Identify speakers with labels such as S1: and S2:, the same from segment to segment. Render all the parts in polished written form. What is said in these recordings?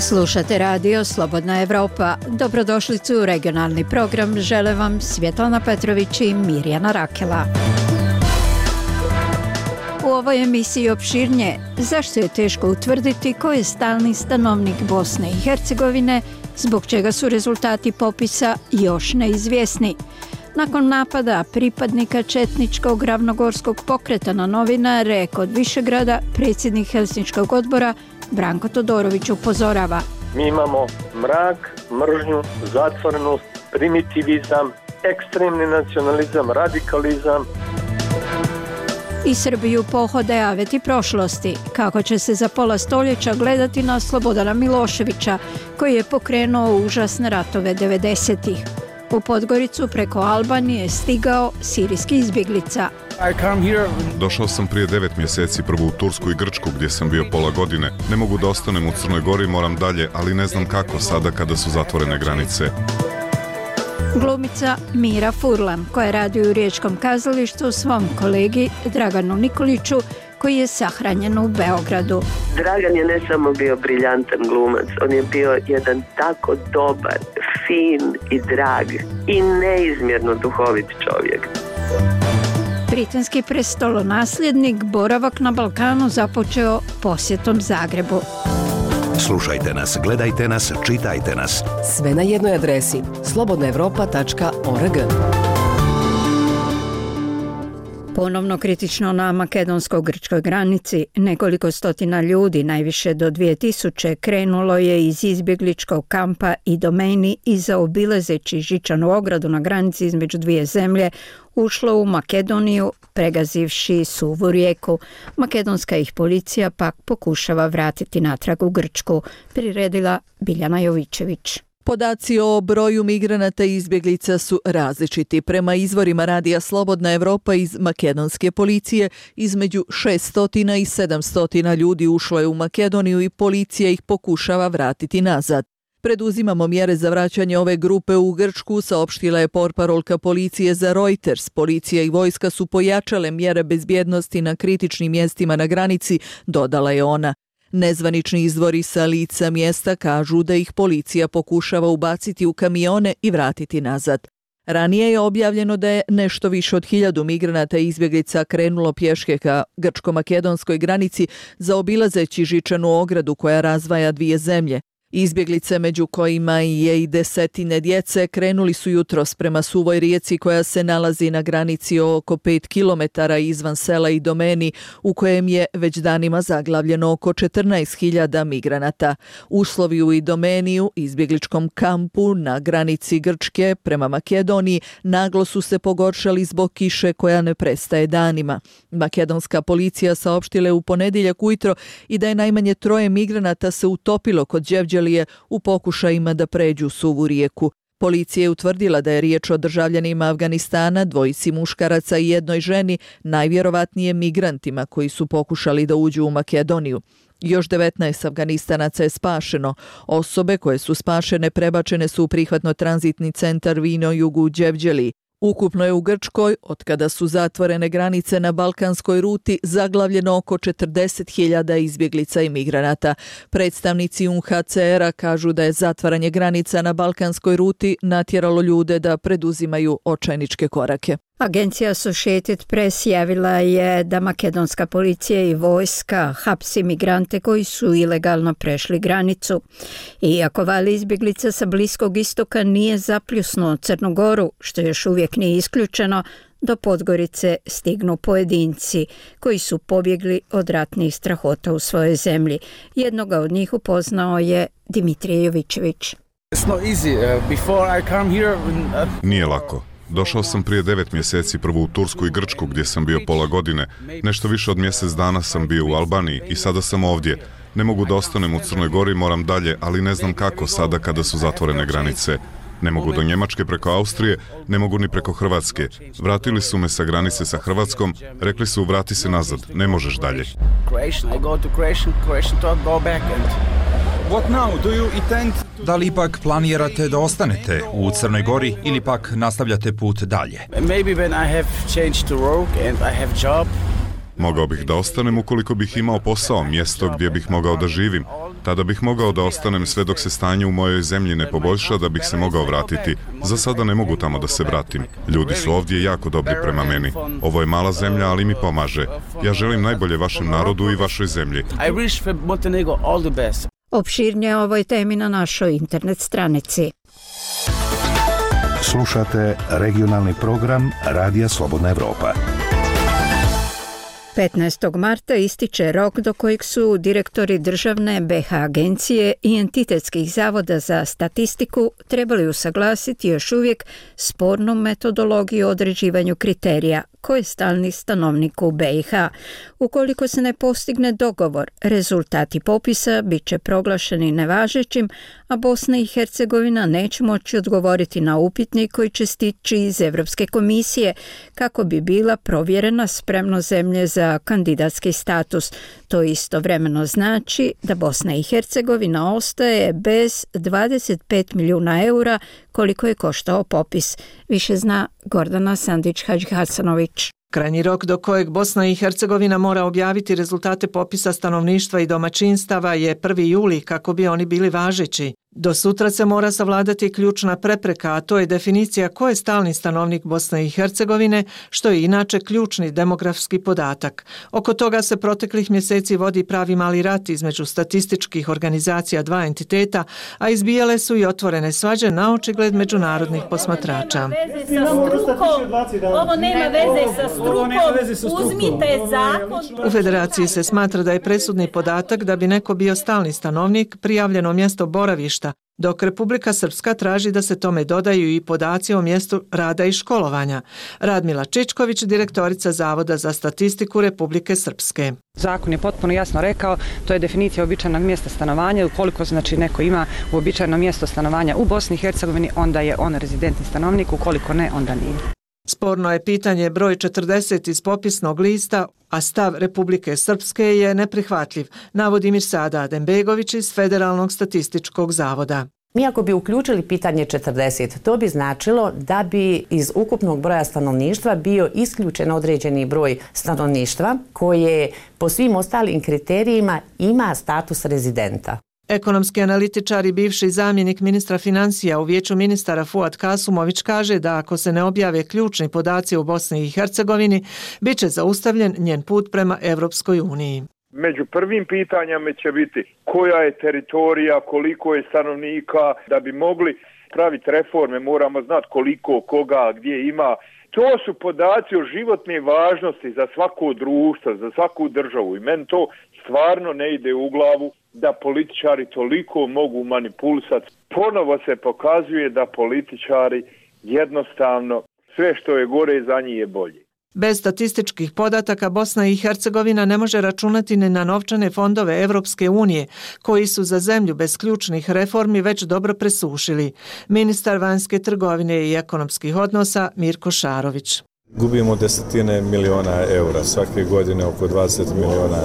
S1: Slušate radio Slobodna Evropa. Dobrodošlicu u regionalni program. Žele vam Svjetlana Petrović i Mirjana Rakela. U ovoj emisiji opširnije zašto je teško utvrditi ko je stalni stanovnik Bosne i Hercegovine, zbog čega su rezultati popisa još neizvjesni. Nakon napada pripadnika četničkog ravnogorskog pokreta na novinare kod Višegrada, predsjednik Helsinškog odbora Branko Todorović upozorava.
S2: Mi imamo mrak, mržnju, zatvorenost, primitivizam, ekstremni nacionalizam, radikalizam.
S1: I Srbiju pohode aveti prošlosti, kako će se za pola stoljeća gledati na Slobodana Miloševića, koji je pokrenuo užasne ratove 90-ih. U Podgoricu preko Albanije stigao sirijski izbjeglica.
S3: Došao sam prije 9 mjeseci prvo u Tursku i Grčku gdje sam bio pola godine. Ne mogu da ostanem u Crnoj Gori, moram dalje, ali ne znam kako sada kada su zatvorene granice.
S1: Glumica Mira Furlan, koja radi u Riječkom kazalištu, svom kolegi Draganu Nikoliću, koji je sahranjen u Beogradu.
S4: Dragan je ne samo bio briljantan glumac, on je bio jedan tako dobar, fin i drag i neizmjerno duhovit čovjek.
S1: Britanski prestolonasljednik boravak na Balkanu započeo posjetom Zagrebu.
S5: Slušajte nas, gledajte nas, čitajte nas.
S6: Sve na jednoj adresi slobodnaevropa.org.
S1: Ponovno kritično na makedonsko-grčkoj granici, nekoliko stotina ljudi, najviše do 2000, krenulo je iz izbjegličkog kampa Idomeni i zaobilazeći žičanu ogradu na granici između dvije zemlje, ušlo u Makedoniju, pregazivši suvu rijeku. Makedonska ih policija pak pokušava vratiti natrag u Grčku, priredila Biljana Jovićević.
S7: Podaci o broju migranata i izbjeglica su različiti. Prema izvorima radija Slobodna Evropa iz makedonske policije, između 600 i 700 ljudi ušlo je u Makedoniju i policija ih pokušava vratiti nazad. Preduzimamo mjere za vraćanje ove grupe u Grčku, saopštila je portparolka policije za Reuters. Policija i vojska su pojačale mjere bezbjednosti na kritičnim mjestima na granici, dodala je ona. Nezvanični izvori sa lica mjesta kažu da ih policija pokušava ubaciti u kamione i vratiti nazad. Ranije je objavljeno da je nešto više od 1000 migranata i izbjeglica krenulo pješke ka grčko-makedonskoj granici zaobilazeći žičanu ogradu koja razdvaja dvije zemlje. Izbjeglice, među kojima je i desetine djece, krenuli su jutros prema suvoj rijeci koja se nalazi na granici oko 5 km izvan sela Idomeni, u kojem je već danima zaglavljeno oko 14.000 migranata. Uslovi u Idomeniju, izbjegličkom kampu na granici Grčke prema Makedoniji, naglo su se pogoršali zbog kiše koja ne prestaje danima. Makedonska policija saopštila je u ponedjeljak ujutro i da je najmanje 3 migranata se utopilo kod Đevđelije u pokušajima da pređu suvu rijeku. Policija je utvrdila da je riječ o državljanima Afganistana, 2 muškaraca i 1 ženi, najvjerovatnije migrantima koji su pokušali da uđu u Makedoniju. Još 19 Afganistanaca je spašeno. Osobe koje su spašene prebačene su u prihvatno-tranzitni centar Vino Jugu u Đevđeliji. Ukupno je u Grčkoj, otkada su zatvorene granice na balkanskoj ruti, zaglavljeno oko 40.000 izbjeglica i migranata. Predstavnici UNHCR-a kažu da je zatvaranje granica na balkanskoj ruti natjeralo ljude da preduzimaju očajničke korake.
S1: Agencija Associated Press javila je da makedonska policija i vojska hapsi migrante koji su ilegalno prešli granicu. Iako val izbjeglica sa Bliskog istoka nije zapljusnuo Crnu Goru, što još uvijek nije isključeno, do Podgorice stignu pojedinci koji su pobjegli od ratnih strahota u svojoj zemlji. Jednoga od njih upoznao je Dimitrije Jovićević.
S3: Nije lako. Došao sam prije 9 mjeseci prvo u Tursku i Grčku gdje sam bio pola godine. Nešto više od mjesec dana sam bio u Albaniji i sada sam ovdje. Ne mogu da ostanem u Crnoj Gori, moram dalje, ali ne znam kako sada kada su zatvorene granice. Ne mogu do Njemačke preko Austrije, ne mogu ni preko Hrvatske. Vratili su me sa granice sa Hrvatskom, rekli su vrati se nazad, ne možeš dalje.
S8: Da li ipak planirate da ostanete u Crnoj Gori ili pak nastavljate put dalje?
S3: Mogao bih da ostanem ukoliko bih imao posao, mjesto gdje bih mogao da živim. Tada bih mogao da ostanem sve dok se stanje u mojoj zemlji ne poboljša da bih se mogao vratiti. Za sada ne mogu tamo da se vratim. Ljudi su ovdje jako dobri prema meni. Ovo je mala zemlja, ali mi pomaže. Ja želim najbolje vašem narodu i vašoj zemlji.
S1: Opširnije o ovoj temi na našoj internet stranici.
S5: Slušate regionalni program Radija Slobodna Evropa.
S1: 15. marta ističe rok do kojeg su direktori državne BiH agencije i entitetskih zavoda za statistiku trebali usaglasiti još uvijek spornu metodologiju o određivanju kriterija ko je stalni stanovnik u BiH. Ukoliko se ne postigne dogovor, rezultati popisa bit će proglašeni nevažećim, a Bosna i Hercegovina neće moći odgovoriti na upitnik koji će stići iz Europske komisije kako bi bila provjerena spremnost zemlje za kandidatski status. To istovremeno znači da Bosna i Hercegovina ostaje bez 25 milijuna eura koliko je koštao popis. Više zna Gordana Sandić-Hadžihasanović.
S9: Krajnji rok do kojeg Bosna i Hercegovina mora objaviti rezultate popisa stanovništva i domaćinstava je 1. juli kako bi oni bili važeći. Do sutra se mora savladati ključna prepreka, a to je definicija ko je stalni stanovnik Bosne i Hercegovine, što je inače ključni demografski podatak. Oko toga se proteklih mjeseci vodi pravi mali rat između statističkih organizacija dva entiteta, a izbijale su i otvorene svađe na očigled međunarodnih posmatrača.
S10: Ovo nema veze sa strukom, uzmite zakon.
S9: U federaciji se smatra da je presudni podatak da bi neko bio stalni stanovnik prijavljeno mjesto boravišta, dok Republika Srpska traži da se tome dodaju i podaci o mjestu rada i školovanja. Radmila Čičković, direktorica Zavoda za statistiku Republike Srpske.
S11: Zakon je potpuno jasno rekao, to je definicija uobičajenog mjesta stanovanja. Ukoliko znači neko ima uobičajeno mjesto stanovanja u Bosni i Hercegovini, onda je on rezidentni stanovnik, ukoliko ne, onda nije.
S9: Sporno je pitanje broj 40 iz popisnog lista, a stav Republike Srpske je neprihvatljiv, navodi Mirsada Adembegović iz Federalnog statističkog zavoda.
S12: Mi ako bi uključili pitanje 40, to bi značilo da bi iz ukupnog broja stanovništva bio isključen određeni broj stanovništva koje po svim ostalim kriterijima ima status rezidenta.
S9: Ekonomski analitičar i bivši zamjenik ministra financija u Vijeću ministara Fuad Kasumović kaže da ako se ne objave ključni podaci u Bosni i Hercegovini, bit će zaustavljen njen put prema Evropskoj uniji.
S13: Među prvim pitanjama će biti koja je teritorija, koliko je stanovnika, da bi mogli praviti reforme moramo znati koliko, koga, gdje ima. To su podaci o životne važnosti za svako društvo, za svaku državu i meni to stvarno ne ide u glavu da političari toliko mogu manipulisati. Ponovo se pokazuje da političari jednostavno sve što je gore za njih je bolje.
S9: Bez statističkih podataka Bosna i Hercegovina ne može računati ni na novčane fondove Evropske unije, koji su za zemlju bez ključnih reformi već dobro presušili. Ministar vanjske trgovine i ekonomskih odnosa Mirko Šarović.
S14: Gubimo desetine miliona eura, svake godine oko 20 miliona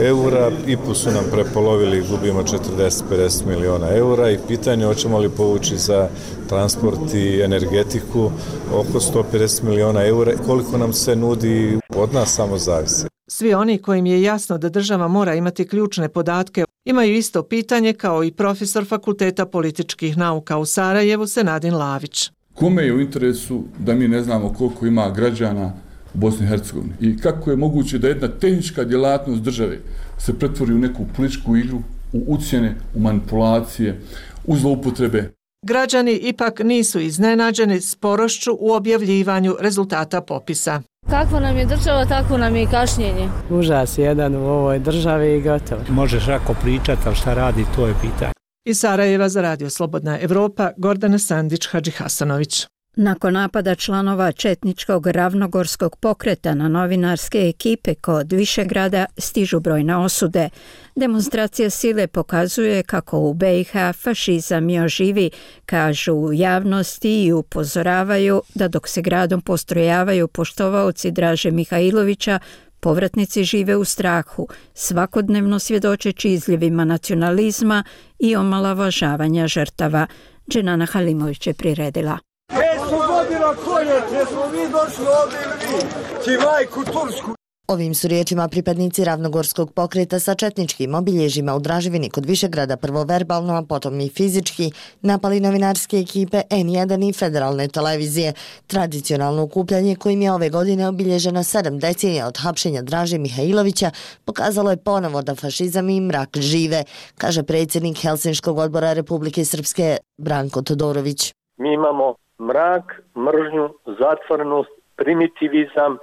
S14: eura, IPU su nam prepolovili, gubimo 40-50 miliona eura i pitanje hoćemo li povući za transport i energetiku oko 150 miliona eura, koliko nam se nudi od nas samo zavisi.
S9: Svi oni kojim je jasno da država mora imati ključne podatke imaju isto pitanje kao i profesor Fakulteta političkih nauka u Sarajevu Senadin Lavić.
S15: Kome je u interesu da mi ne znamo koliko ima građana u Bosni i Hercegovini i kako je moguće da jedna tehnička djelatnost države se pretvori u neku političku igru, u ucjene, u manipulacije, u zloupotrebe.
S9: Građani ipak nisu iznenađeni sporošću u objavljivanju rezultata popisa.
S16: Kakva nam je država, tako nam je i kašnjenje.
S17: Užas jedan u ovoj državi i gotovo.
S18: Možeš ako pričati, ali šta radi, to je pitanje.
S9: Iz Sarajeva za Radio Slobodna Evropa, Gordana Sandić-Hadžihasanović.
S1: Nakon napada članova četničkog ravnogorskog pokreta na novinarske ekipe kod Višegrada stižu brojne osude. Demonstracija sile pokazuje kako u BiH fašizam još živi, kažu u javnosti i upozoravaju da dok se gradom postrojavaju poštovaoci Draže Mihajlovića, povratnici žive u strahu, svakodnevno svjedočeći izljevima nacionalizma i omalovažavanja žrtava. Dženana Halimović je priredila.
S19: 500 godina koljeće smo mi došli ovdje ili vi, ti majku Tursku. Ovim su riječima pripadnici ravnogorskog pokreta sa četničkim obilježjima u Draževini kod Višegrada prvo verbalno, a potom i fizički napali novinarske ekipe N1 i federalne televizije. Tradicionalno okupljanje kojim je ove godine obilježeno 7 decenija od hapšenja Draže Mihajlovića pokazalo je ponovo da fašizam i mrak žive, kaže predsjednik Helsinškog odbora Republike Srpske Branko Todorović.
S2: Mi imamo mrak, mržnju, zatvorenost, primitivizam,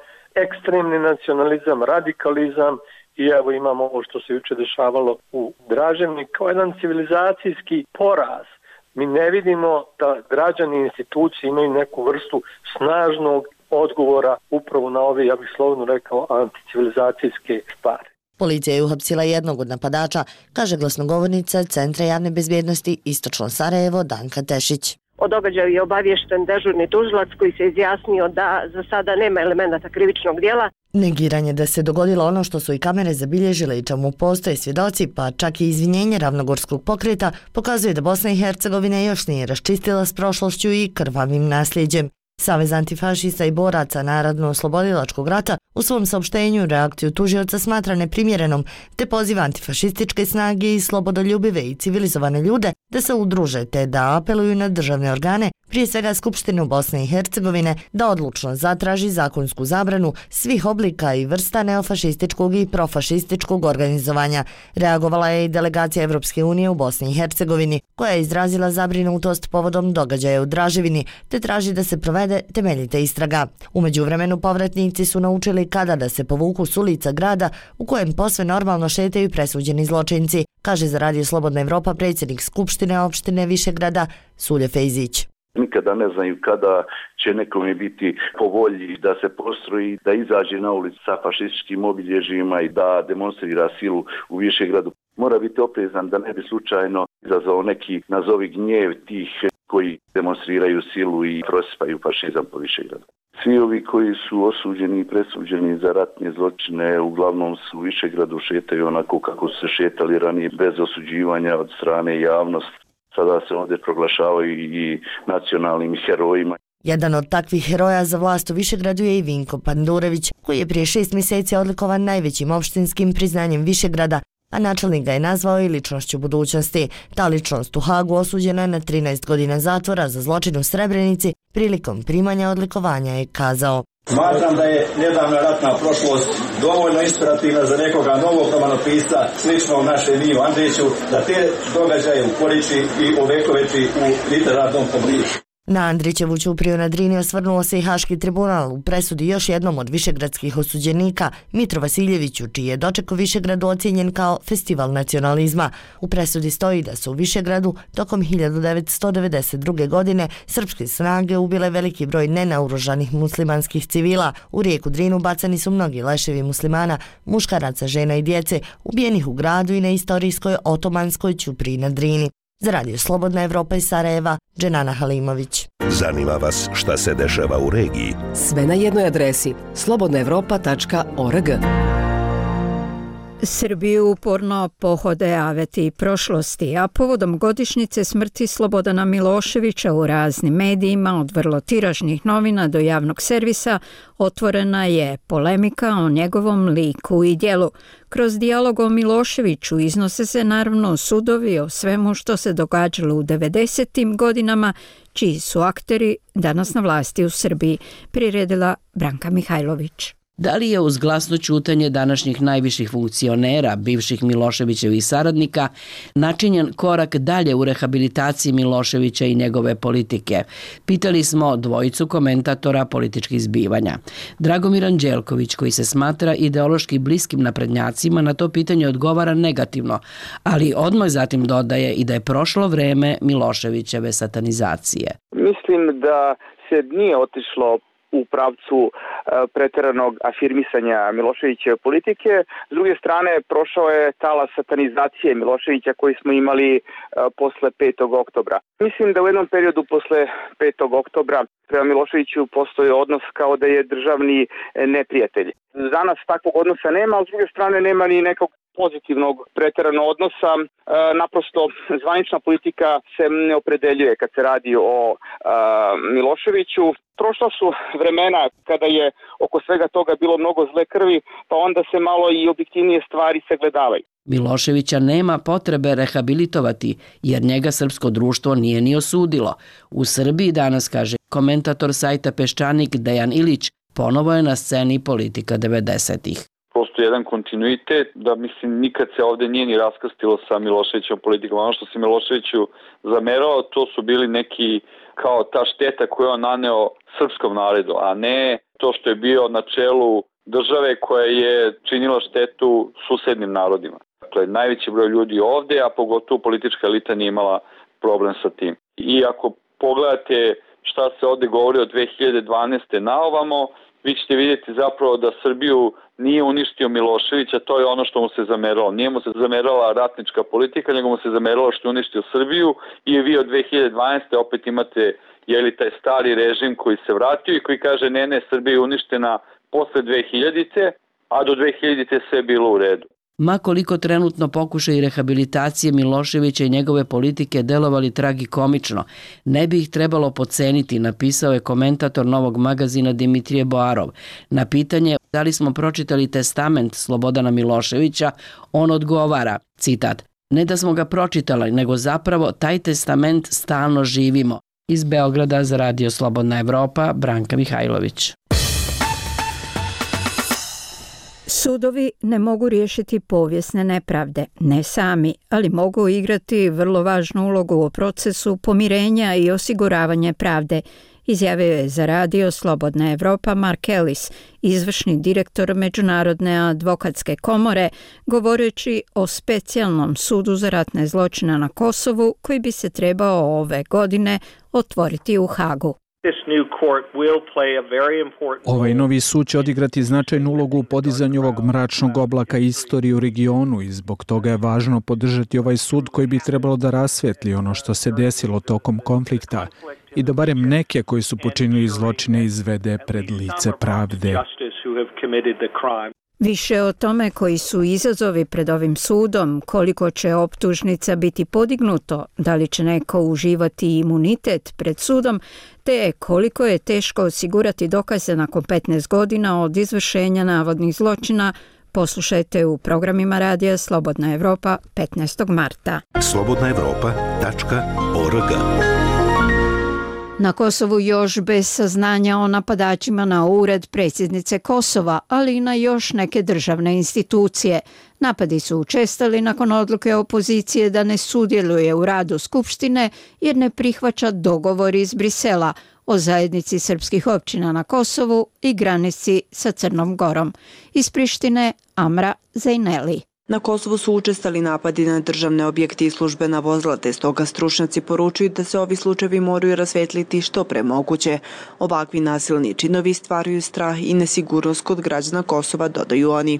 S2: ekstremni nacionalizam, radikalizam i evo imamo ovo što se juče dešavalo u Draževni kao jedan civilizacijski poraz. Mi ne vidimo da građani i institucije imaju neku vrstu snažnog odgovora upravo na ove, ja bih slovno rekao, anticivilizacijske stvari.
S19: Policija je uhapsila jednog od napadača, kaže glasnogovornica Centra javne bezbjednosti Istočno Sarajevo Danka Tešić.
S20: O događaju je obaviješten dežurni tužilac koji se izjasnio da za sada nema elemenata krivičnog djela.
S19: Negiranje da se dogodilo ono što su i kamere zabilježile i čemu postoje svjedoci, pa čak i izvinjenje ravnogorskog pokreta, pokazuje da Bosna i Hercegovina još nije raščistila s prošlošću i krvavim nasljeđem. Savez antifašista i boraca Narodno-oslobodilačkog rata u svom saopštenju reakciju tužioca smatra neprimjerenom, te poziva antifašističke snage i slobodoljubive i civilizovane ljude da se udruže te da apeluju na državne organe, prije svega Skupštinu Bosne i Hercegovine, da odlučno zatraži zakonsku zabranu svih oblika i vrsta neofašističkog i profašističkog organizovanja. Reagovala je i delegacija Evropske unije u Bosni i Hercegovini, koja je izrazila zabrinutost povodom događaja u Draževini, te traži da se provede temeljita istraga. U međuvremenu povratnici su naučili kada da se povuku s ulica grada u kojem posve normalno šetaju presuđeni zločinci, kaže za Radio Slobodna Evropa predsjednik Skupštine opštine Višegrada Sulje Fejzić.
S21: Nikada ne znaju kada će nekome biti po volji da se postroji, da izađe na ulicu sa fašističkim obilježjima i da demonstrira silu u Višegradu. Mora biti oprezan da ne bi slučajno izazvao neki nazovi gnjev tih koji demonstriraju silu i prosipaju fašizam po Višegradu. Svi ovi koji su osuđeni i presuđeni za ratne zločine uglavnom su u Višegradu šetaju onako kako su se šetali ranije, bez osuđivanja od strane javnosti. Sada se ovdje proglašavaju i nacionalnim herojima.
S19: Jedan od takvih heroja za vlast u Višegradu je i Vinko Pandurević, koji je prije 6 mjeseci odlikovan najvećim opštinskim priznanjem Višegrada, a načelnik ga je nazvao i ličnošću budućnosti. Ta ličnost u Hagu osuđena je na 13 godina zatvora za zločin u Srebrenici prilikom primanja odlikovanja je kazao.
S22: Smatram da je nedavna ratna prošlost dovoljno inspirativna za nekoga novog romanopisca sličnog našem Ivu Andriću da te događaje ukoriči i ovekoveči u literarnom pobližu.
S19: Na Andrićevu ćupriju na Drini osvrnuo se i Haški tribunal u presudi još jednom od višegradskih osuđenika Mitru Vasiljeviću, čiji je doček u Višegradu ocijenjen kao festival nacionalizma. U presudi stoji da su u Višegradu tokom 1992. godine srpske snage ubile veliki broj nenaoružanih muslimanskih civila. U rijeku Drinu bacani su mnogi leševi muslimana, muškaraca, žena i djece, ubijenih u gradu i na istorijskoj otomanskoj ćupriji na Drini. Za Radio Slobodna Evropa iz Sarajeva, Dženana Halimović.
S5: Zanima vas šta se dešava u regiji?
S6: Sve na jednoj adresi slobodnaevropa.org.
S1: Srbiju uporno pohode aveti prošlosti, a povodom godišnjice smrti Slobodana Miloševića u raznim medijima, od vrlo tiražnih novina do javnog servisa, otvorena je polemika o njegovom liku i djelu. Kroz dijalog o Miloševiću iznose se naravno sudovi o svemu što se događalo u 90. godinama, čiji su akteri danas na vlasti u Srbiji, priredila Branka Mihajlović.
S23: Da li je uz glasno ćutanje današnjih najviših funkcionera, bivših Miloševićevih saradnika, načinjen korak dalje u rehabilitaciji Miloševića i njegove politike? Pitali smo dvojicu komentatora političkih zbivanja. Dragomir Anđelković, koji se smatra ideološki bliskim naprednjacima, na to pitanje odgovara negativno, ali odmah zatim dodaje i da je prošlo vreme Miloševićeve satanizacije.
S24: Mislim da se nije otišlo u pravcu pretjeranog afirmisanja Miloševićeve politike. S druge strane, prošao je talas satanizacije Miloševića koji smo imali posle 5. oktobra. Mislim da u jednom periodu posle 5. oktobra prema Miloševiću postoji odnos kao da je državni neprijatelj. Danas takvog odnosa nema, ali s druge strane nema ni nekog pozitivnog preteranog odnosa. Naprosto zvanična politika se ne opredeljuje kad se radi o Miloševiću. Prošla su vremena kada je oko svega toga bilo mnogo zle krvi, pa onda se malo i objektivnije stvari sagledavaju.
S23: Miloševića nema potrebe rehabilitovati, jer njega srpsko društvo nije ni osudilo. U Srbiji danas, kaže komentator sajta Peščanik Dejan Ilić, ponovo je na sceni politika 90-ih.
S3: Prosto jedan kontinuitet, da mislim nikad se ovde nije ni raskrstilo sa Miloševićom politikom. Ono što se Miloševiću zamerao, to su bili neki kao ta šteta koju on naneo srpskom narodu, a ne to što je bio na čelu države koja je činila štetu susednim narodima. Dakle, najveći broj ljudi ovde, a pogotovo politička elita nije imala problem sa tim. I ako pogledate šta se ovde govori od 2012. na ovamo, vi ćete vidjeti zapravo da Srbiju nije uništio Miloševića, to je ono što mu se zameralo. Nije mu se zamerala ratnička politika, nego mu se zameralo što je uništio Srbiju i vi od 2012. opet imate taj stari režim koji se vratio i koji kaže ne, Srbija je uništena posle 2000-te, a do 2000-te sve je bilo u redu.
S23: Ma koliko trenutno pokušaj rehabilitacije Miloševića i njegove politike delovali tragikomično, ne bi ih trebalo podceniti, napisao je komentator Novog magazina Dimitrije Boarov. Na pitanje da li smo pročitali testament Slobodana Miloševića, on odgovara, citat, ne da smo ga pročitali, nego zapravo taj testament stalno živimo. Iz Beograda za Radio Slobodna Evropa, Branka Mihajlović.
S1: Sudovi ne mogu riješiti povijesne nepravde, ne sami, ali mogu igrati vrlo važnu ulogu u procesu pomirenja i osiguravanja pravde, izjavio je za Radio Slobodna Evropa Mark Ellis, izvršni direktor Međunarodne advokatske komore, govoreći o specijalnom sudu za ratne zločine na Kosovu koji bi se trebao ove godine otvoriti u Hagu.
S4: Ovaj novi sud će odigrati značajnu ulogu u podizanju ovog mračnog oblaka istorije u regionu i zbog toga je važno podržati ovaj sud koji bi trebalo da rasvetli ono što se desilo tokom konflikta i da barem neke koji su počinili zločine izvede pred lice pravde.
S1: Više o tome koji su izazovi pred ovim sudom, koliko će optužnica biti podignuto, da li će neko uživati imunitet pred sudom, te koliko je teško osigurati dokaze nakon 15 godina od izvršenja navodnih zločina, poslušajte u programima Radija Slobodna Evropa 15. marta.
S5: slobodnaevropa.org.
S1: Na Kosovu još bez saznanja o napadačima na ured predsjednice Kosova, ali i na još neke državne institucije. Napadi su učestali nakon odluke opozicije da ne sudjeluje u radu Skupštine jer ne prihvaća dogovor iz Brisela o zajednici srpskih općina na Kosovu i granici sa Crnom Gorom. Iz Prištine Amra Zajneli.
S7: Na Kosovu su učestali napadi na državne objekte i službena vozila, te stoga stručnjaci poručuju da se ovi slučajevi moraju rasvetliti što pre moguće. Ovakvi nasilni činovi stvaraju strah i nesigurnost kod građana Kosova, dodaju oni.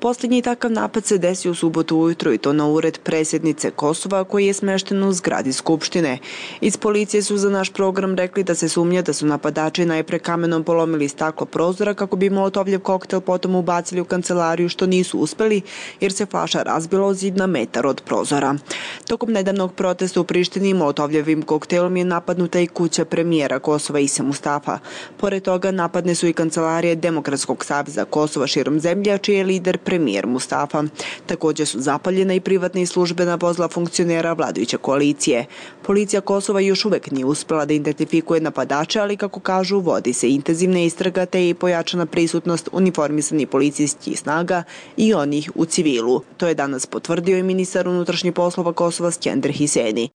S7: Posljednji takav napad se desio u subotu ujutro i to na ured predsjednice Kosova koji je smešten u zgradi Skupštine. Iz policije su za naš program rekli da se sumnja da su napadači najpre kamenom polomili staklo prozora kako bi molotovljev koktel potom ubacili u kancelariju, što nisu uspeli jer se flaša razbila o zid na metar od prozora. Tokom nedavnog protesta u Prištini molotovljevim koktelom je napadnuta i kuća premijera Kosova Ise Mustafa. Pored toga napadne su i kancelarije Demokratskog saveza Kosova širom zemlje, čiji je lider premijer Mustafa. Također su zapaljena i privatna i službena vozila funkcionera vladajuće koalicije. Policija Kosova još uvek nije uspela da identifikuje napadače, ali kako kažu, vodi se intenzivna istraga te i pojačana prisutnost uniformisanih policijskih snaga i onih u civilu. To je danas potvrdio i ministar unutrašnjih poslova Kosova Skender Hiseni.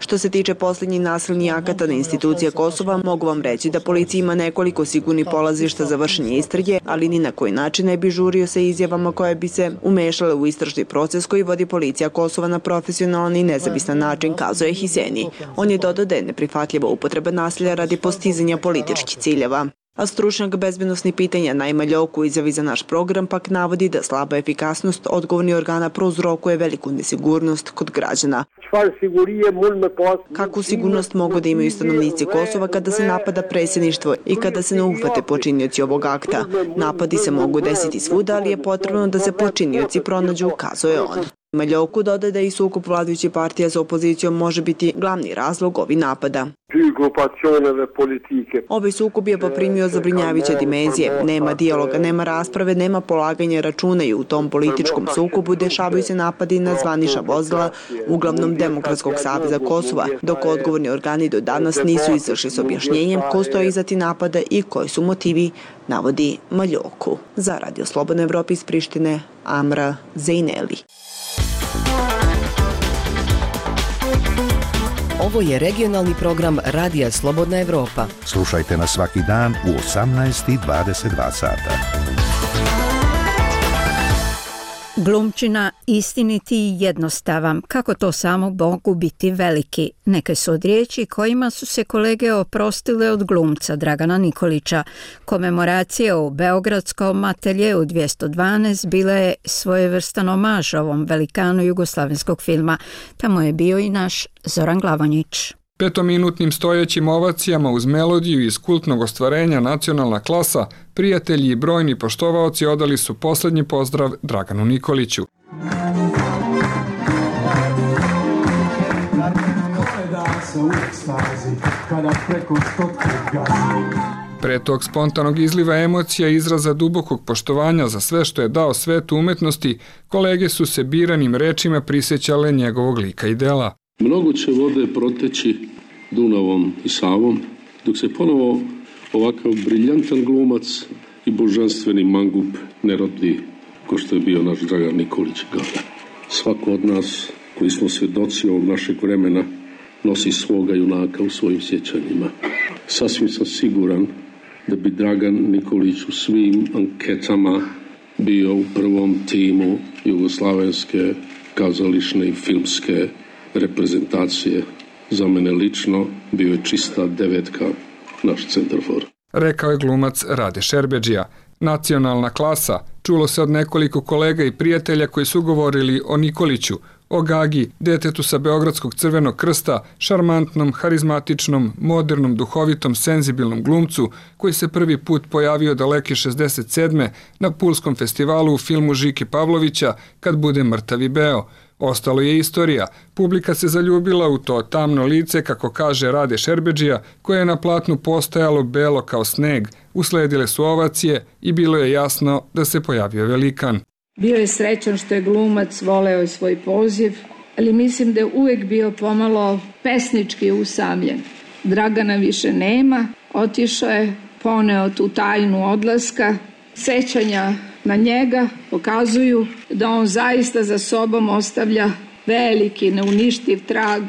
S7: Što se tiče posljednjih nasilnih akata na institucije Kosova, mogu vam reći da policija ima nekoliko sigurnih polazišta za vršenje istrage, ali ni na koji način ne bi žurio sa izjavama koje bi se umešale u istražni proces koji vodi policija Kosova na profesionalan i nezavisan način, kazao je Hiseni. On je dodao da je neprihvatljiva upotreba nasilja radi postizanja političkih ciljeva. A stručnjak bezbednostnih pitanja Naima Ljoku u izjavi za naš program pak navodi da slaba efikasnost odgovornih organa prouzrokuje veliku nesigurnost kod građana. Kakvu sigurnost mogu da imaju stanovnici Kosova kada se napada predsjedništvo i kada se ne uhvate počinioci ovog akta? Napadi se mogu desiti svuda, ali je potrebno da se počinioci pronađu, kazuje on. Maljoku dodaje da i sukob vladajućih partija sa opozicijom može biti glavni razlog ovih napada. Ovaj sukob je poprimio zabrinjavajuće dimenzije. Nema dijaloga, nema rasprave, nema polaganja računa i u tom političkom sukobu dešavaju se napadi na zvanična vozila, uglavnom Demokratskog saveza Kosova, dok odgovorni organi do danas nisu izašli s objašnjenjem ko stoji iza tih napada i koji su motivi, navodi Maljoku. Za Radio Slobodna Evropa iz Prištine, Amra Zejneli.
S6: Ovo je regionalni program Radija Slobodna Evropa.
S5: Slušajte nas svaki dan u 18:22 sata.
S1: Glumčina istiniti i jednostavan, kako to samo mogu biti veliki. Neke su od riječi kojima su se kolege oprostile od glumca Dragana Nikolića. Komemoracija u Beogradskom ateljeu 212 bila je svojevrstan omaž ovom velikanu jugoslavenskog filma. Tamo je bio i naš Zoran Glavonjić.
S8: Petominutnim stojećim ovacijama uz melodiju iz kultnog ostvarenja Nacionalna klasa, prijatelji i brojni poštovaoci odali su posljednji pozdrav Draganu Nikoliću. Pre tog spontanog izliva emocija i izraza dubokog poštovanja za sve što je dao svetu umetnosti, kolege su se biranim rečima prisjećale njegovog lika i dela.
S10: Mnogo će vode proteći Dunavom i Savom, dok se ponovo ovakav briljantan glumac i božanstveni mangup ne rodi, ko što je bio naš Dragan Nikolić Gaga. Svako od nas koji smo svjedoci ovog našeg vremena nosi svoga junaka u svojim sjećanjima. Sasvim sam siguran da bi Dragan Nikolić u svim anketama bio u prvom timu jugoslavenske kazališne i filmske reprezentacije. Za mene lično bio je čista devetka naš centarfor.
S8: Rekao je glumac Rade Šerbedžija. Nacionalna klasa, čulo se od nekoliko kolega i prijatelja koji su govorili o Nikoliću, o Gagi, detetu sa Beogradskog crvenog krsta, šarmantnom, harizmatičnom, modernom, duhovitom, senzibilnom glumcu koji se prvi put pojavio daleke 67. na Pulskom festivalu u filmu Žike Pavlovića Kad bude mrtav i beo. Ostalo je istorija. Publika se zaljubila u to tamno lice, kako kaže Rade Šerbedžija, koje je na platnu postajalo belo kao sneg. Usledile su ovacije i bilo je jasno da se pojavio velikan.
S11: Bio je srećan što je glumac, voleo je svoj poziv, ali mislim da je uvijek bio pomalo pesnički usamljen. Dragana više nema, otišao je, poneo tu tajnu odlaska, sećanja na njega pokazuju da on zaista za sobom ostavlja veliki, neuništiv trag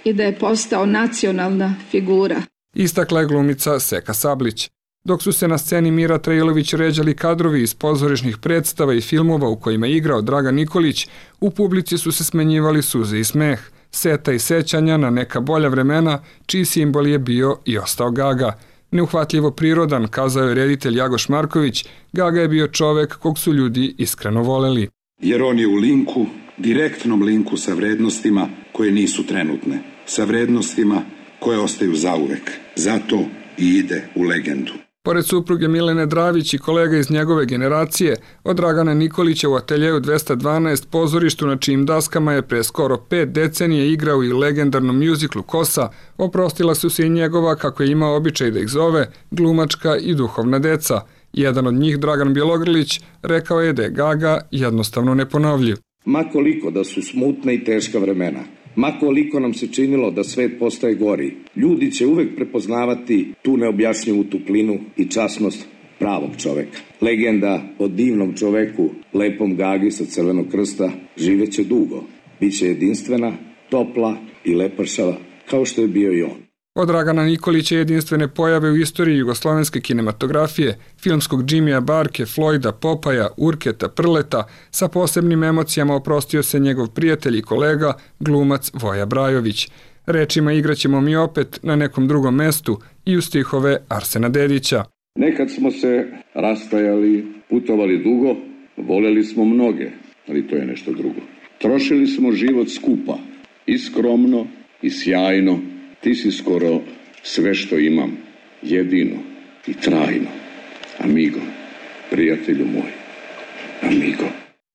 S11: i da je postao nacionalna figura.
S8: Istakla je glumica Seka Sablić. Dok su se na sceni Mira Trailović ređali kadrovi iz pozorišnih predstava i filmova u kojima je igrao Dragan Nikolić, u publici su se smenjivali suze i smeh, seta i sećanja na neka bolja vremena, čiji simbol je bio i ostao Gaga. Neuhvatljivo prirodan, kazao je reditelj Jagoš Marković, Gaga je bio čovek kog su ljudi iskreno voleli.
S12: Jer on je u linku, direktnom linku sa vrednostima koje nisu trenutne, sa vrednostima koje ostaju zauvek. Zato i ide u legendu.
S8: Pored supruge Milene Dravić i kolega iz njegove generacije, od Dragana Nikolića u ateljeju 212 pozorištu na čijim daskama je pre skoro 5 decenije igrao i legendarnom mjuziklu Kosa, oprostila su se i njegova, kako je imao običaj da ih zove, glumačka i duhovna deca. Jedan od njih, Dragan Bjelogrlić, rekao je da je Gaga jednostavno neponovljiv.
S25: Ma koliko da su smutna i teška vremena, ma koliko nam se činilo da svet postaje gori, ljudi će uvek prepoznavati tu neobjašnjivu tuplinu i časnost pravog čoveka. Legenda o divnom čoveku, lepom Gagi sa Crvenog krsta, živeće dugo. Biće jedinstvena, topla i lepršava, kao što je bio i on.
S8: Od Dragana Nikolića jedinstvene pojave u istoriji jugoslovenske kinematografije, filmskog Jimmya Barke, Floyda, Popaja, Urketa, Prleta, sa posebnim emocijama oprostio se njegov prijatelj i kolega, glumac Voja Brajović. Rečima igraćemo mi opet na nekom drugom mestu i u stihove Arsena Dedića.
S10: Nekad smo se rastajali, putovali dugo, voljeli smo mnoge, ali to je nešto drugo. Trošili smo život skupa, i skromno, i sjajno. Ti si skoro sve što imam, jedino i trajno. Amigo, prijatelju moj, amigo.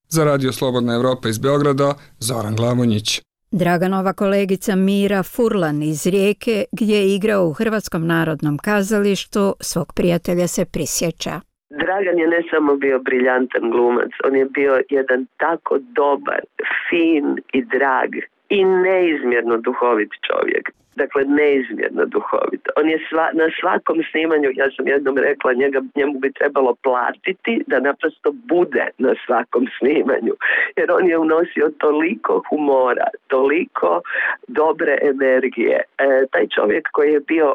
S8: Za Radio Slobodna Evropa iz Beograda, Zoran Glavonjić.
S1: Draganova kolegica Mira Furlan iz Rijeke, gdje je igrao u Hrvatskom narodnom kazalištu, svog prijatelja se prisjeća.
S13: Dragan je ne samo bio briljantan glumac, on je bio jedan tako dobar, fin i drag i neizmjerno duhovit čovjek. Dakle, neizmjerno duhovit. On je na svakom snimanju, ja sam jednom rekla, njemu bi trebalo platiti da naprosto bude na svakom snimanju. Jer on je unosio toliko humora, toliko dobre energije. Taj čovjek koji je bio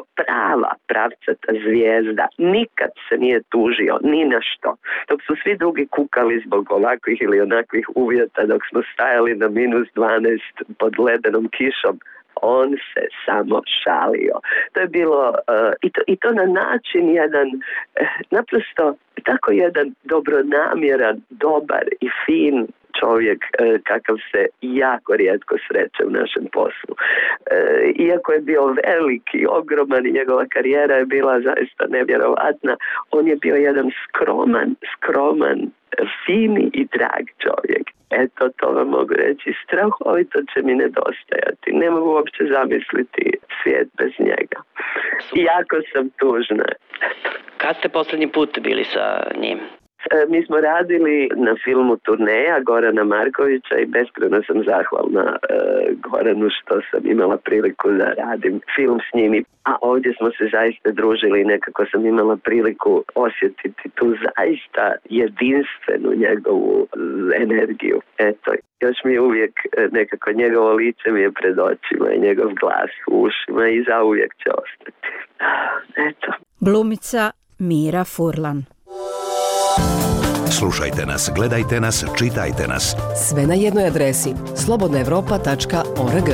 S13: pravcata zvijezda, nikad se nije tužio, ni na što. Dok su svi drugi kukali zbog ovakvih ili onakvih uvjeta, dok smo stajali na -12 pod ledenom kišom, on se samo šalio. To je bilo i to na način jedan naprosto tako jedan dobronamjeran, dobar i fin čovjek kakav se jako rijetko sreće u našem poslu. Iako je bio veliki, ogroman i njegova karijera je bila zaista nevjerovatna, on je bio jedan skroman, fini i drag čovjek. Eto, to vam mogu reći, strahovito će mi nedostajati. Ne mogu uopće zamisliti svijet bez njega. Jako sam tužna.
S14: Kad ste posljednji put bili sa njim?
S13: Mi smo radili na filmu Turneja Gorana Markovića i beskrajno sam zahvalna Goranu što sam imala priliku da radim film s njim. A ovdje smo se zaista družili i nekako sam imala priliku osjetiti tu zaista jedinstvenu njegovu energiju. Eto, još mi je uvijek nekako njegovo lice mi je pred očima i njegov glas u ušima i zauvijek će ostati. Eto.
S1: Glumica Mira Furlan.
S5: Slušajte nas, gledajte nas, čitajte nas.
S6: Sve na jednoj adresi slobodnaevropa.org.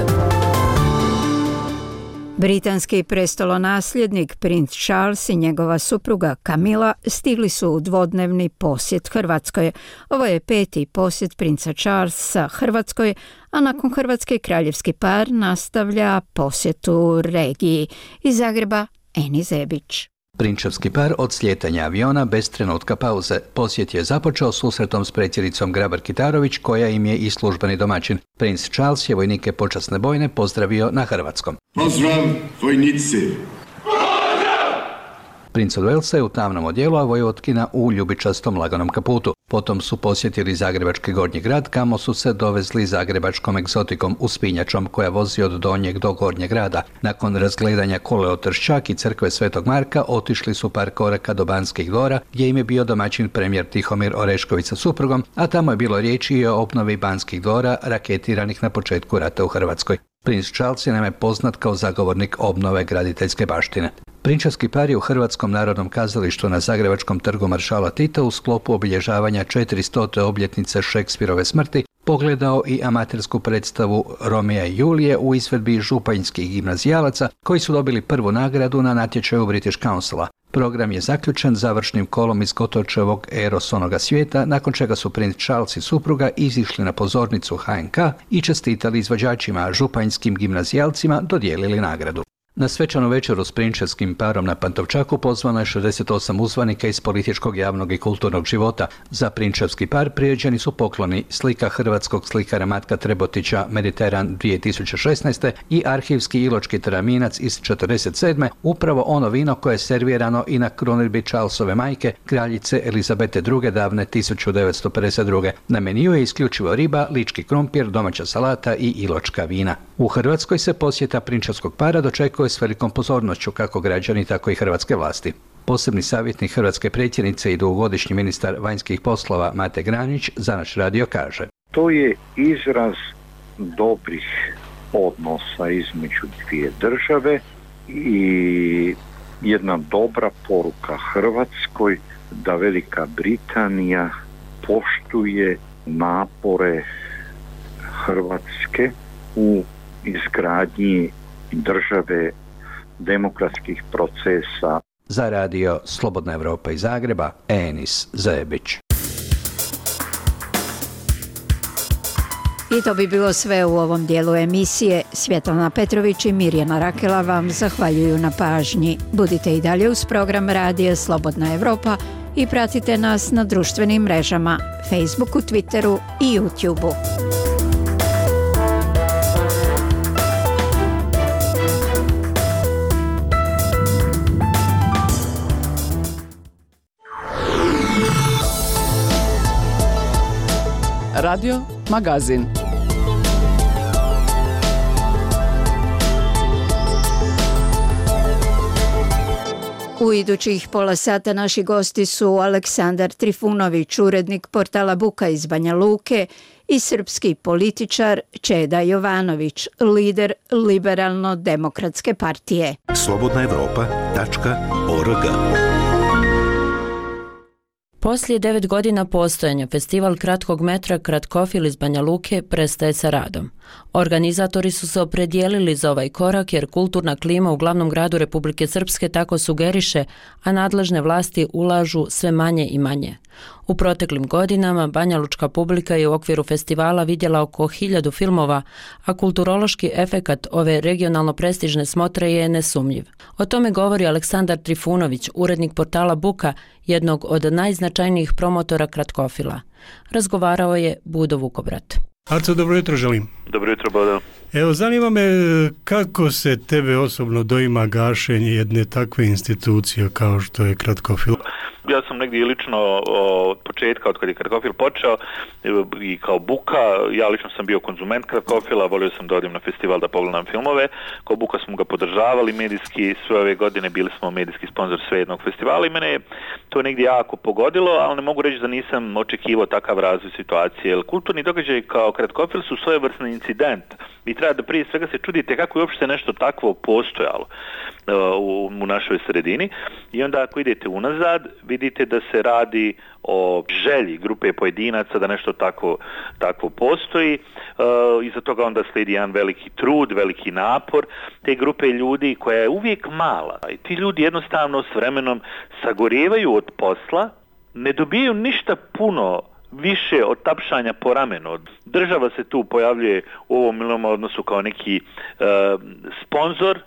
S1: Britanski prestolonasljednik princ Charles i njegova supruga Camilla stigli su u dvodnevni posjet Hrvatskoj. Ovo je 5. posjet princa Charlesa Hrvatskoj, a nakon Hrvatske kraljevski par nastavlja posjetu regiji. Iz Zagreba Eni Zebić.
S15: Prinčevski par od slijetanja aviona bez trenutka pauze. Posjet je započeo susretom s predsjednicom Grabar-Kitarović, koja im je i službeni domaćin. Princ Charles je vojnike počasne bojne pozdravio na hrvatskom.
S16: Pozdrav, vojnici!
S15: Princ od Walesa je u tamnom odjelu, a vojvotkinja u ljubičastom laganom kaputu. Potom su posjetili Zagrebački Gornji grad, kamo su se dovezli zagrebačkom egzotikom uspinjačom koja vozi od Donjeg do Gornjeg grada. Nakon razgledanja Koleo Trščak i crkve Svetog Marka otišli su par koraka do Banskih dvora, gdje im je bio domaćin premijer Tihomir Orešković sa suprugom, a tamo je bilo riječi i o obnovi Banskih dvora raketiranih na početku rata u Hrvatskoj. Princ Charles je naime poznat kao zagovornik obnove graditeljske baštine. Prinčevski par je u Hrvatskom narodnom kazalištu na Zagrebačkom trgu Maršala Tita u sklopu obilježavanja 400. obljetnice Šekspirove smrti pogledao i amatersku predstavu Romea i Julije u izvedbi županjskih gimnazijalaca koji su dobili prvu nagradu na natječaju British Councila. Program je zaključen završnim kolom iz Kotočevog Eros onoga svijeta, nakon čega su princ Charles i supruga izišli na pozornicu HNK i čestitali izvođačima, županjskim gimnazijalcima dodijelili nagradu. Na svečanu večeru s prinčevskim parom na Pantovčaku pozvano je 68 uzvanika iz političkog, javnog i kulturnog života. Za prinčevski par priređeni su pokloni, slika hrvatskog slikara Matka Trebotića Mediteran 2016. i arhivski iločki teraminac iz 47. upravo ono vino koje je servirano i na krunidbi Charlesove majke, kraljice Elizabete II. Davne 1952. Na meniju je isključivo riba, lički krumpir, domaća salata i iločka vina. U Hrvatskoj se posjeta prinčevskog para dočekuje s velikom pozornošću kako građani, tako i hrvatske vlasti. Posebni savjetnik hrvatske predsjednice i dugogodišnji ministar vanjskih poslova Mate Granić za naš radio kaže:
S17: To je izraz dobrih odnosa između dvije države i jedna dobra poruka Hrvatskoj da Velika Britanija poštuje napore Hrvatske u izgradnji države, demokratskih procesa.
S15: Za radio Slobodna Evropa iz Zagreba, Enis Zajebić.
S1: I to bi bilo sve u ovom dijelu emisije. Svjetlana Petrović i Mirjana Rakela vam zahvaljuju na pažnji. Budite i dalje uz program radija Slobodna Evropa i pratite nas na društvenim mrežama, Facebooku, Twitteru i YouTubeu.
S2: Radio Magazin.
S1: U idućih pola sata naši gosti su Aleksandar Trifunović, urednik portala Buka iz Banja Luke, i srpski političar Čeda Jovanović, lider Liberalno-demokratske partije.
S5: slobodnaevropa.org.
S9: Poslije 9 godina postojanja festival kratkog metra Kratkofil iz Banja Luke prestaje sa radom. Organizatori su se opredijelili za ovaj korak jer kulturna klima u glavnom gradu Republike Srpske tako sugeriše, a nadležne vlasti ulažu sve manje i manje. U proteklim godinama banjalučka publika je u okviru festivala vidjela oko 1000 filmova, a kulturološki efekat ove regionalno prestižne smotre je nesumnjiv. O tome govori Aleksandar Trifunović, urednik portala Buka, jednog od najznačajnijih promotora Kratkofila. Razgovarao je Budo Vukobrat.
S18: Aco, dobro jutro želim.
S20: Dobro jutro, Bodo.
S18: Evo, zanima me kako se tebe osobno doima gašenje jedne takve institucije kao što je Kratkofil?
S20: Ja sam negdje lično od početka, od kad je Kratkofil počeo i kao Buka, ja lično sam bio konzument Kratkofila, volio sam da odim na festival da pogledam filmove. Kao Buka smo ga podržavali medijski, sve ove godine bili smo medijski sponsor svejednog festivala i mene je to negdje jako pogodilo, ali ne mogu reći da nisam očekivao takav razvoj situacije, jer kulturni događaj kao Kratkofil su svojevrsni incident. Vi treba da prije svega se čudite kako je uopšte nešto takvo postojalo u našoj sredini i onda ako idete unazad vidite da se radi o želji grupe pojedinaca da nešto takvo postoji. Iza toga onda slijedi jedan veliki trud, veliki napor te grupe ljudi koja je uvijek mala i ti ljudi jednostavno s vremenom sagorijevaju od posla, ne dobijaju ništa puno više od tapšanja po ramenu. Država se tu pojavljuje u ovom milom odnosu kao neki sponzor,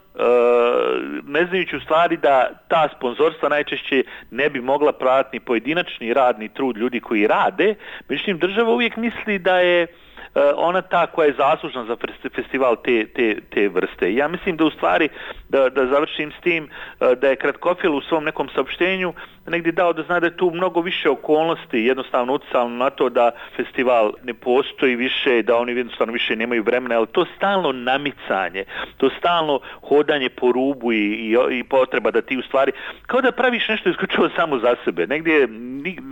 S20: ne znajući u stvari da ta sponzorstva najčešće ne bi mogla pratiti pojedinačni radni trud ljudi koji rade, međutim država uvijek misli da je ona ta koja je zaslužna za festival te vrste. Ja mislim da u stvari, da završim s tim, da je Kratkofil u svom nekom saopštenju negdje dao da zna da je tu mnogo više okolnosti jednostavno utjecalo na to da festival ne postoji više, da oni jednostavno više nemaju vremena, ali to stalno namicanje, to stalno hodanje po rubu i potreba da ti u stvari, kao da praviš nešto isključivo samo za sebe. Negdje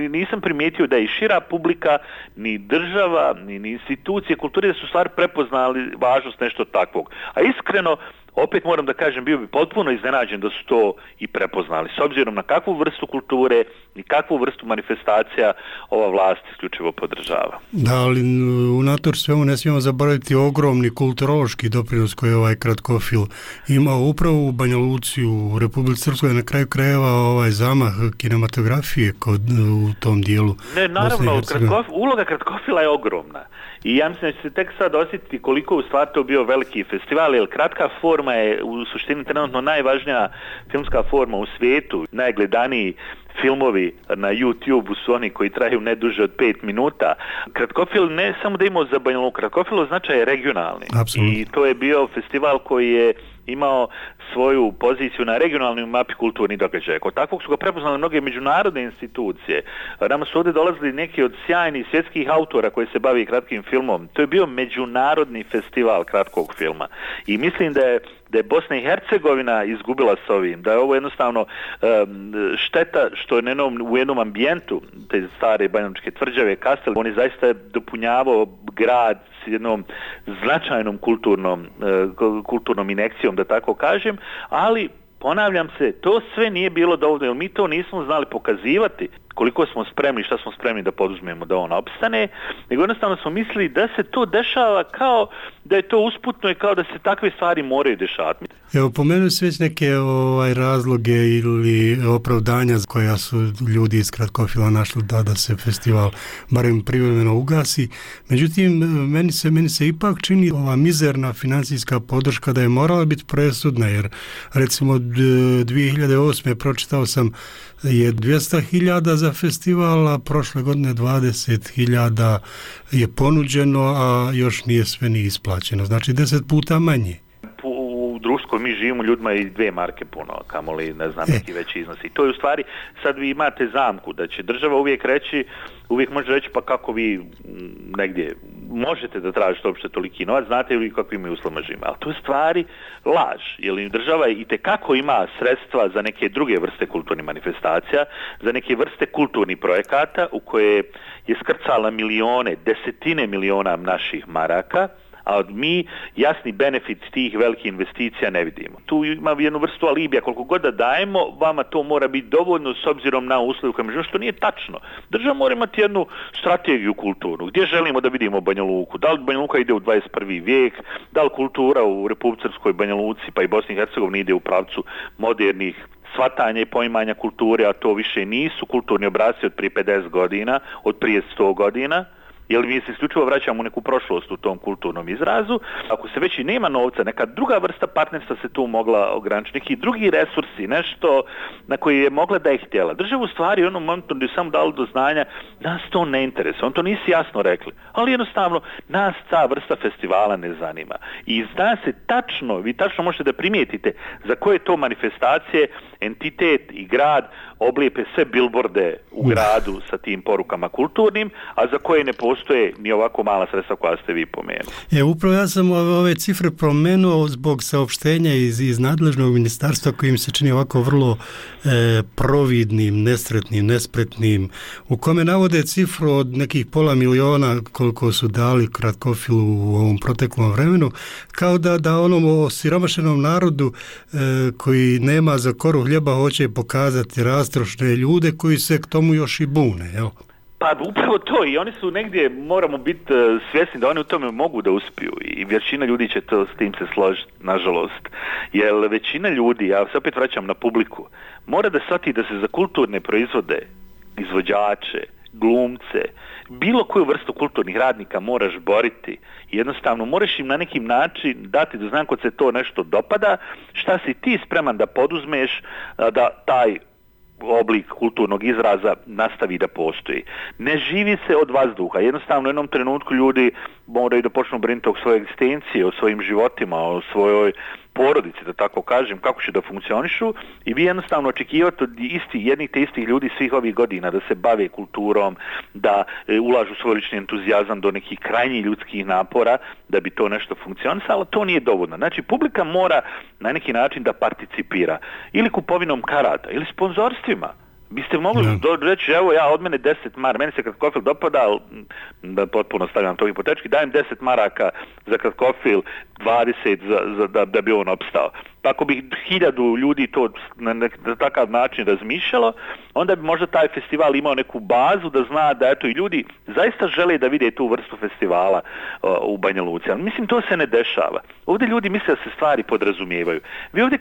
S20: nisam primijetio da je i šira publika, ni država, ni institucije kulture da su stvari prepoznali važnost nešto takvog. A iskreno, opet moram da kažem, bio bi potpuno iznenađen da su to i prepoznali. S obzirom na kakvu vrstu kulture i kakvu vrstu manifestacija ova vlast isključivo podržava.
S18: Da, ali unator svemu ne smijemo zaboraviti ogromni kulturološki doprinos koji je ovaj Kratkofil imao upravo u Banja Luci, u Republici Srpskoj, na kraju krajeva ovaj zamah kinematografije u tom dijelu.
S20: Ne, naravno, uloga Kratkofila je ogromna. I ja mislim da će se tek sad osjetiti koliko u stvari to bio veliki festival, jer kratka forma je u suštini trenutno najvažnija filmska forma u svijetu. Najgledaniji filmovi na YouTube su oni koji traju ne duže od 5 minuta. Kratkofil ne samo da imao za Banja Luku, Kratkofil značaj je regionalni.
S18: Absolutno.
S20: I to je bio festival koji je imao svoju poziciju na regionalnoj mapi kulturnih događaja. Kod takvog su ga prepoznali mnoge međunarodne institucije. Nama su ovdje dolazili neki od sjajnih svjetskih autora koji se bavi kratkim filmom. To je bio međunarodni festival kratkog filma. I mislim da je Bosna i Hercegovina izgubila s ovim, da je ovo jednostavno šteta što je u jednom ambijentu te stare banjalučke tvrđave Kastel, on je zaista dopunjavao grad s jednom značajnom kulturnom injekcijom, da tako kažem, ali ponavljam se, to sve nije bilo dovoljno, jer mi to nismo znali pokazivati koliko smo spremni, šta smo spremni da poduzmemo da on opstane, nego jednostavno smo mislili da se to dešava kao da je to usputno i kao da se takve stvari moraju dešavati.
S18: Evo, pomenuo se već neke razloge ili opravdanja koja su ljudi iz Kratkofila našli da se festival barem privremeno ugasi. Međutim, meni se ipak čini ova mizerna financijska podrška da je morala biti presudna, jer recimo 2008. pročitao sam je 200.000 za festival, a prošle godine 20.000 je ponuđeno, a još nije sve ni isplaćeno. Znači 10 puta manje.
S20: U društvu koji mi živimo, ljudima je 2 marke puno, kamoli, ne znam, neki veći iznosi. To je u stvari, sad vi imate zamku da će država uvijek može reći pa kako vi negdje možete da tražite uopšte toliki novac, znate li kakvim uslovima živimo. Ali to je stvari laž, jer država itekako ima sredstva za neke druge vrste kulturnih manifestacija, za neke vrste kulturnih projekata u koje je skrcala milijone, desetine miliona naših maraka, a mi jasni benefit tih velikih investicija ne vidimo. Tu ima jednu vrstu alibija, koliko god da dajemo, vama to mora biti dovoljno s obzirom na uslove u kojima živimo, što nije tačno. Država mora imati jednu strategiju kulturnu, gdje želimo da vidimo Banja Luku, da li Banja Luka ide u 21. vijek, da li kultura u Republici Srpskoj, Banja Luci pa i Bosni i Hercegovini ide u pravcu modernih shvatanja i poimanja kulture, a to više nisu kulturni obrasci od prije 50 godina, od prije 100 godina, jer mi se isključivo vraćamo u neku prošlost u tom kulturnom izrazu. Ako se već i nema novca, neka druga vrsta partnerstva se tu mogla ograničiti, neki drugi resursi, nešto na koji je mogla da je htjela. Država u stvari u onom momentu gdje je samo dalo do znanja, nas to ne interesuje, on to nisi jasno rekli, ali jednostavno nas ta vrsta festivala ne zanima. I zna se tačno, vi tačno možete da primijetite za koje to manifestacije entitet i grad oblijepe sve bilborde u gradu sa tim porukama kulturnim, a za koje ne postoje ni ovako mala sredstva koja ste vi pomenuli.
S18: Upravo ja sam ove cifre promenuo zbog saopštenja iz nadležnog ministarstva koji mi se čini ovako vrlo providnim, nesretnim, nespretnim, u kome navode cifru od nekih 500.000 koliko su dali Kratkofilu u ovom proteklom vremenu, kao da onom osiromašenom narodu koji nema za koru hljeba hoće pokazati rastrošne ljude koji se k tomu još i bune, jel?
S20: Pa upravo to, i oni su negdje, moramo biti svjesni da oni u tome mogu da uspiju i većina ljudi će to s tim se složiti, nažalost. Jer većina ljudi, ja se opet vraćam na publiku, mora da shvati da se za kulturne proizvode, izvođače, glumce, bilo koju vrstu kulturnih radnika moraš boriti. Jednostavno moraš im na neki način dati da znam kod se to nešto dopada, šta si ti spreman da poduzmeš da taj oblik kulturnog izraza nastavi da postoji. Ne živi se od vazduha. Jednostavno u jednom trenutku ljudi moraju da počnu brinuti o svojoj egzistenciji, o svojim životima, o svojoj porodici, da tako kažem, kako će da funkcionišu, i vi jednostavno očekivate od jednih te istih ljudi svih ovih godina da se bave kulturom, da ulažu svoj lični entuzijazam do nekih krajnjih ljudskih napora da bi to nešto funkcionisalo, ali to nije dovoljno. Znači, publika mora na neki način da participira ili kupovinom karata, ili sponzorstvima. Biste mogli reći, evo ja od mene 10 maraka, meni se Kratkofil dopada, ali da potpuno stavljam to hipotetički, dajem 10 maraka za Kratkofil, 20 da bi on opstao. Pa ako bi 1000 ljudi to na takav način razmišljalo, onda bi možda taj festival imao neku bazu da zna da eto i ljudi zaista žele da vide tu vrstu festivala u Banja Luci. Ali mislim, to se ne dešava. Ovdje ljudi misle da se stvari podrazumijevaju. Vi ovdje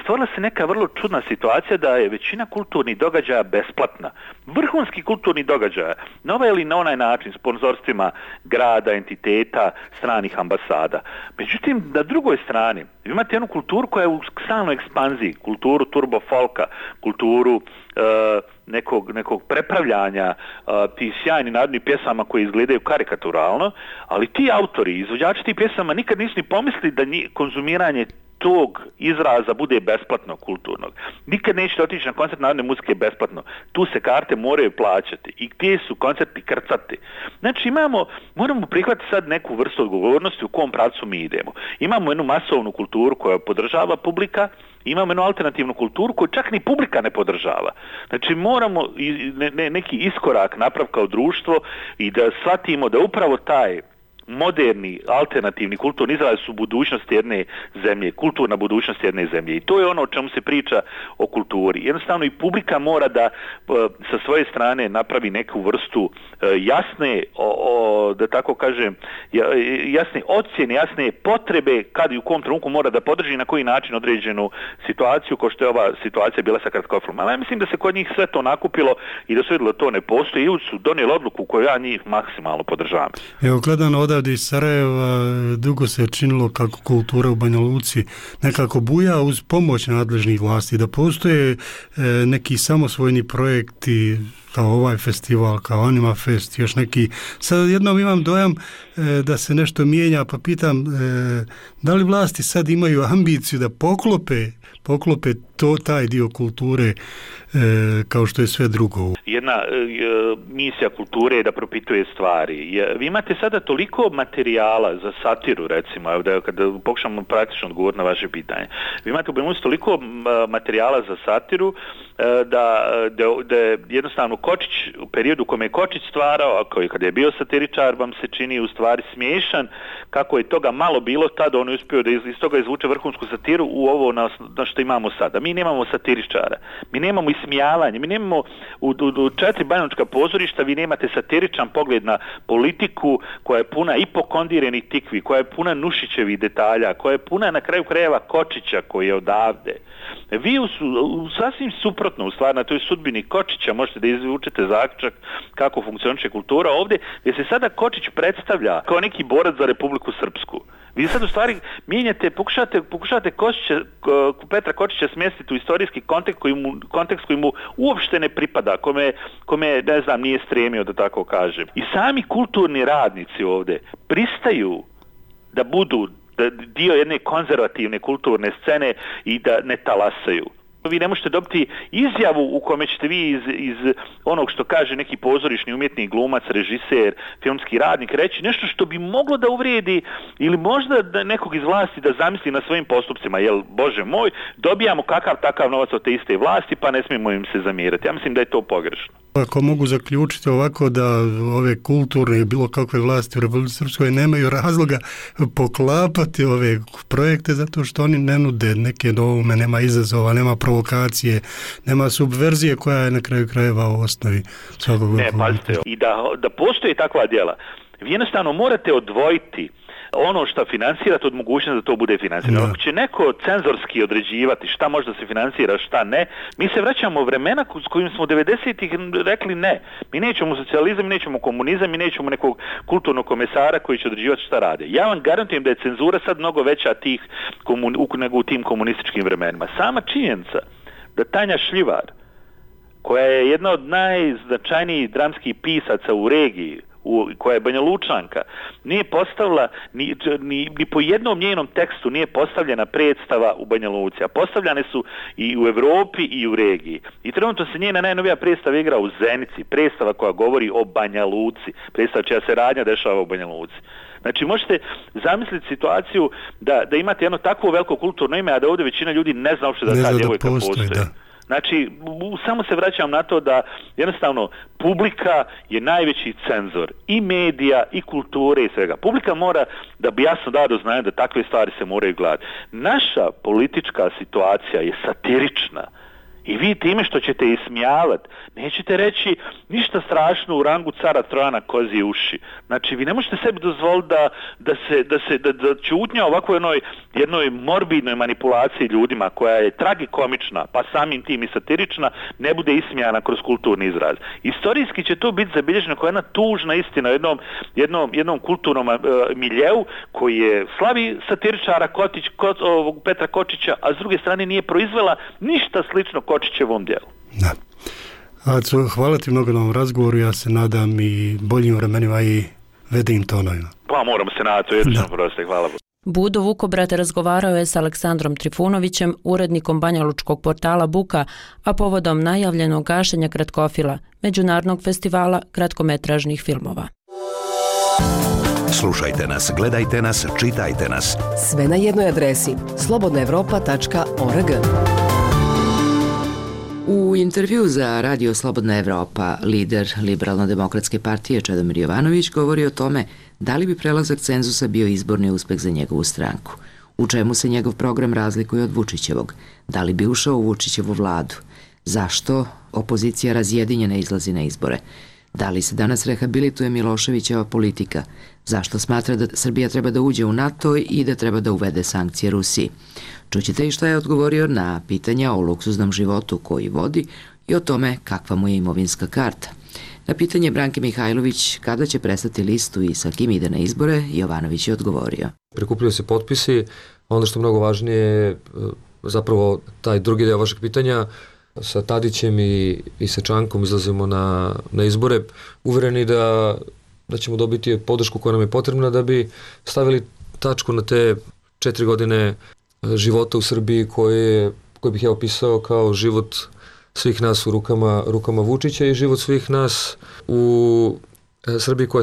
S20: stvorila se neka vrlo čudna situacija da je većina kulturnih događaja besplatna. Vrhunski kulturni događaja, na ovaj ili na onaj način, sponzorstvima grada, entiteta, stranih ambasada. Međutim, na drugoj strani, vi imate jednu kulturu koja je u stalnoj ekspanziji, kulturu turbo folka, kulturu nekog prepravljanja tih sjajnih narodnih pjesama koje izgledaju karikaturalno, ali ti autori, izvođači tih pjesama nikad nisu ni pomislili da konzumiranje tog izraza bude besplatno kulturnog. Nikad nećete otići na koncert narodne muzike besplatno. Tu se karte moraju plaćati i gdje su koncerti krcati. Znači moramo prihvatiti sad neku vrstu odgovornosti u kom pravcu mi idemo. Imamo jednu masovnu kulturu koja podržava publika, imamo jednu alternativnu kulturu koju čak ni publika ne podržava. Znači moramo neki iskorak napraviti kao društvo i da shvatimo da upravo taj moderni, alternativni kulturni izraz su budućnost jedne zemlje, kulturna budućnost jedne zemlje. I to je ono o čemu se priča o kulturi. Jednostavno i publika mora da sa svoje strane napravi neku vrstu jasne, da tako kažem, jasne ocjene, jasne potrebe kad i u kom trenutku mora da podrži na koji način određenu situaciju, kao što je ova situacija bila sa kratkofilmom. Ali ja mislim da se kod njih sve to nakupilo i da su vidjeli da to ne postoji i su donijeli odluku koju ja njih maksimalno podržavam.
S18: Evo, gledano odavde iz Sarajeva, dugo se činilo kako kultura u Banja Luci nekako buja uz pomoć nadležnih vlasti, da postoje neki samosvojni projekti kao ovaj festival, kao Anima Fest, još neki. Sad jednom imam dojam da se nešto mijenja, pa pitam da li vlasti sad imaju ambiciju da poklope taj dio kulture kao što je sve drugo.
S20: Jedna misija kulture je da propituje stvari. Vi imate sada toliko materijala za satiru, recimo, kada pokušamo praktično odgovoriti na vaše pitanje. Vi imate u Banja Luci toliko materijala za satiru da jednostavno Kočić, u periodu u kome je Kočić stvarao, a kada je bio satiričar, vam se čini u stvari smiješan, kako je toga malo bilo tada, on je uspio da iz toga izvuče vrhunsku satiru u ovo na što imamo sada. Mi nemamo satiričara, mi nemamo ismijavanje, mi nemamo u 4 banjalučka pozorišta, vi nemate satiričan pogled na politiku koja je puna ipokondiranih tikvi, koja je puna Nušićevih detalja, koja je puna na kraju krajeva Kočića koji je odavde. Vi sasvim suprotno u stvari na toj sudbini Kočića možete da izvučete zaključak kako funkcioniše kultura ovdje, gdje se sada Kočić predstavlja kao neki borac za Republiku Srpsku. Vi sad u stvari mijenjate, pokušate Petra Kočića smjestiti u istorijski kontekst koji mu uopšte ne pripada, kome ne znam, nije stremio, da tako kažem. I sami kulturni radnici ovdje pristaju da budu dio jedne konzervativne kulturne scene i da ne talasaju. Vi ne možete dobiti izjavu u kome ćete vi iz onog što kaže neki pozorišni umjetnik, glumac, režiser, filmski radnik reći nešto što bi moglo da uvrijedi ili možda da nekog iz vlasti da zamisli na svojim postupcima, jer Bože moj, dobijamo kakav takav novac od te iste vlasti pa ne smijemo im se zamjerati. Ja mislim da je to pogrešno.
S18: Ako mogu zaključiti ovako da ove kulturne i bilo kakve vlasti u Republici Srpskoj nemaju razloga poklapati ove projekte zato što oni ne nude neke novome, nema izazova, nema provokacije, nema subverzije koja je na kraju krajeva u osnovi svakog.
S20: Ne, pazite, i da postoje takva djela, vi jednostavno morate odvojiti ono što financirate od mogućnosti da to bude financirano. Ako će neko cenzorski određivati šta može da se financira, šta ne, mi se vraćamo u vremena s kojim smo 90-ih rekli ne. Mi nećemo socijalizam, mi nećemo komunizam, mi nećemo nekog kulturnog komesara koji će određivati šta rade. Ja vam garantujem da je cenzura sad mnogo veća nego u tim komunističkim vremenima. Sama činjenica da Tanja Šljivar, koja je jedna od najznačajnijih dramskih pisaca u regiji, koja je Banja Lučanka, nije postavila, ni po jednom njenom tekstu nije postavljena predstava u Banja Luci, a postavljane su i u Evropi i u regiji. I trenutno se njena najnovija predstava igra u Zenici, predstava koja govori o Banja Luci, predstava čija se radnja dešava u Banja Luci. Znači možete zamisliti situaciju da imate jedno takvo veliko kulturno ime, a da ovdje većina ljudi ne zna uopšte da ta djevojka postoji. Znači, samo se vraćam na to da jednostavno publika je najveći cenzor i medija i kulture i svega. Publika mora da bi jasno dao do znanja da takve stvari se moraju gledati. Naša politička situacija je satirična. I vi time što ćete ismijavati, nećete reći ništa strašno u rangu cara Trojana kozije uši. Znači, vi ne možete sebi dozvoliti da čutnja ovako jednoj morbidnoj manipulaciji ljudima koja je tragikomična, pa samim tim i satirična, ne bude ismijana kroz kulturni izraz. Istorijski će to biti zabilježeno kao jedna tužna istina jednom kulturnom miljeu koji je slavi satiričara Petra Kočića, a s druge strane nije proizvela ništa slično Kočićevom djelu.
S18: Da. Aco, hvala ti mnogo na ovom razgovoru, ja se nadam i boljim vremenima i vedim tonovima.
S20: Pa moramo se nadati, to je jednostavno proste, hvala.
S9: Budo Vukobrat razgovarao je s Aleksandrom Trifunovićem, urednikom banjalučkog portala Buka, a povodom najavljenog gašenja Kratkofila, međunarodnog festivala kratkometražnih filmova.
S5: Slušajte nas, gledajte nas, čitajte nas.
S6: Sve na jednoj adresi slobodnaevropa.org.
S3: U intervju za Radio Slobodna Evropa, lider Liberalno-demokratske partije Čedomir Jovanović govori o tome da li bi prelazak cenzusa bio izborni uspeh za njegovu stranku, u čemu se njegov program razlikuje od Vučićevog, da li bi ušao u Vučićevu vladu, zašto opozicija razjedinjena izlazi na izbore, da li se danas rehabilituje Miloševićeva politika, zašto smatra da Srbija treba da uđe u NATO i da treba da uvede sankcije Rusiji. Čućete i šta je odgovorio na pitanja o luksuznom životu koji vodi i o tome kakva mu je imovinska karta. Na pitanje Branke Mihajlović kada će prestati listu i sa kim ide na izbore, Jovanović je odgovorio.
S19: Prikupljaju se potpisi, ono što je mnogo važnije je zapravo taj drugi deo vašeg pitanja. Sa Tadićem i sa Čankom izlazimo na izbore, uvereni da ćemo dobiti podršku koja nam je potrebna da bi stavili tačku na te 4 godine života u Srbiji koje bih ja opisao kao život svih nas u rukama Vučića i život svih nas u Srbiji koja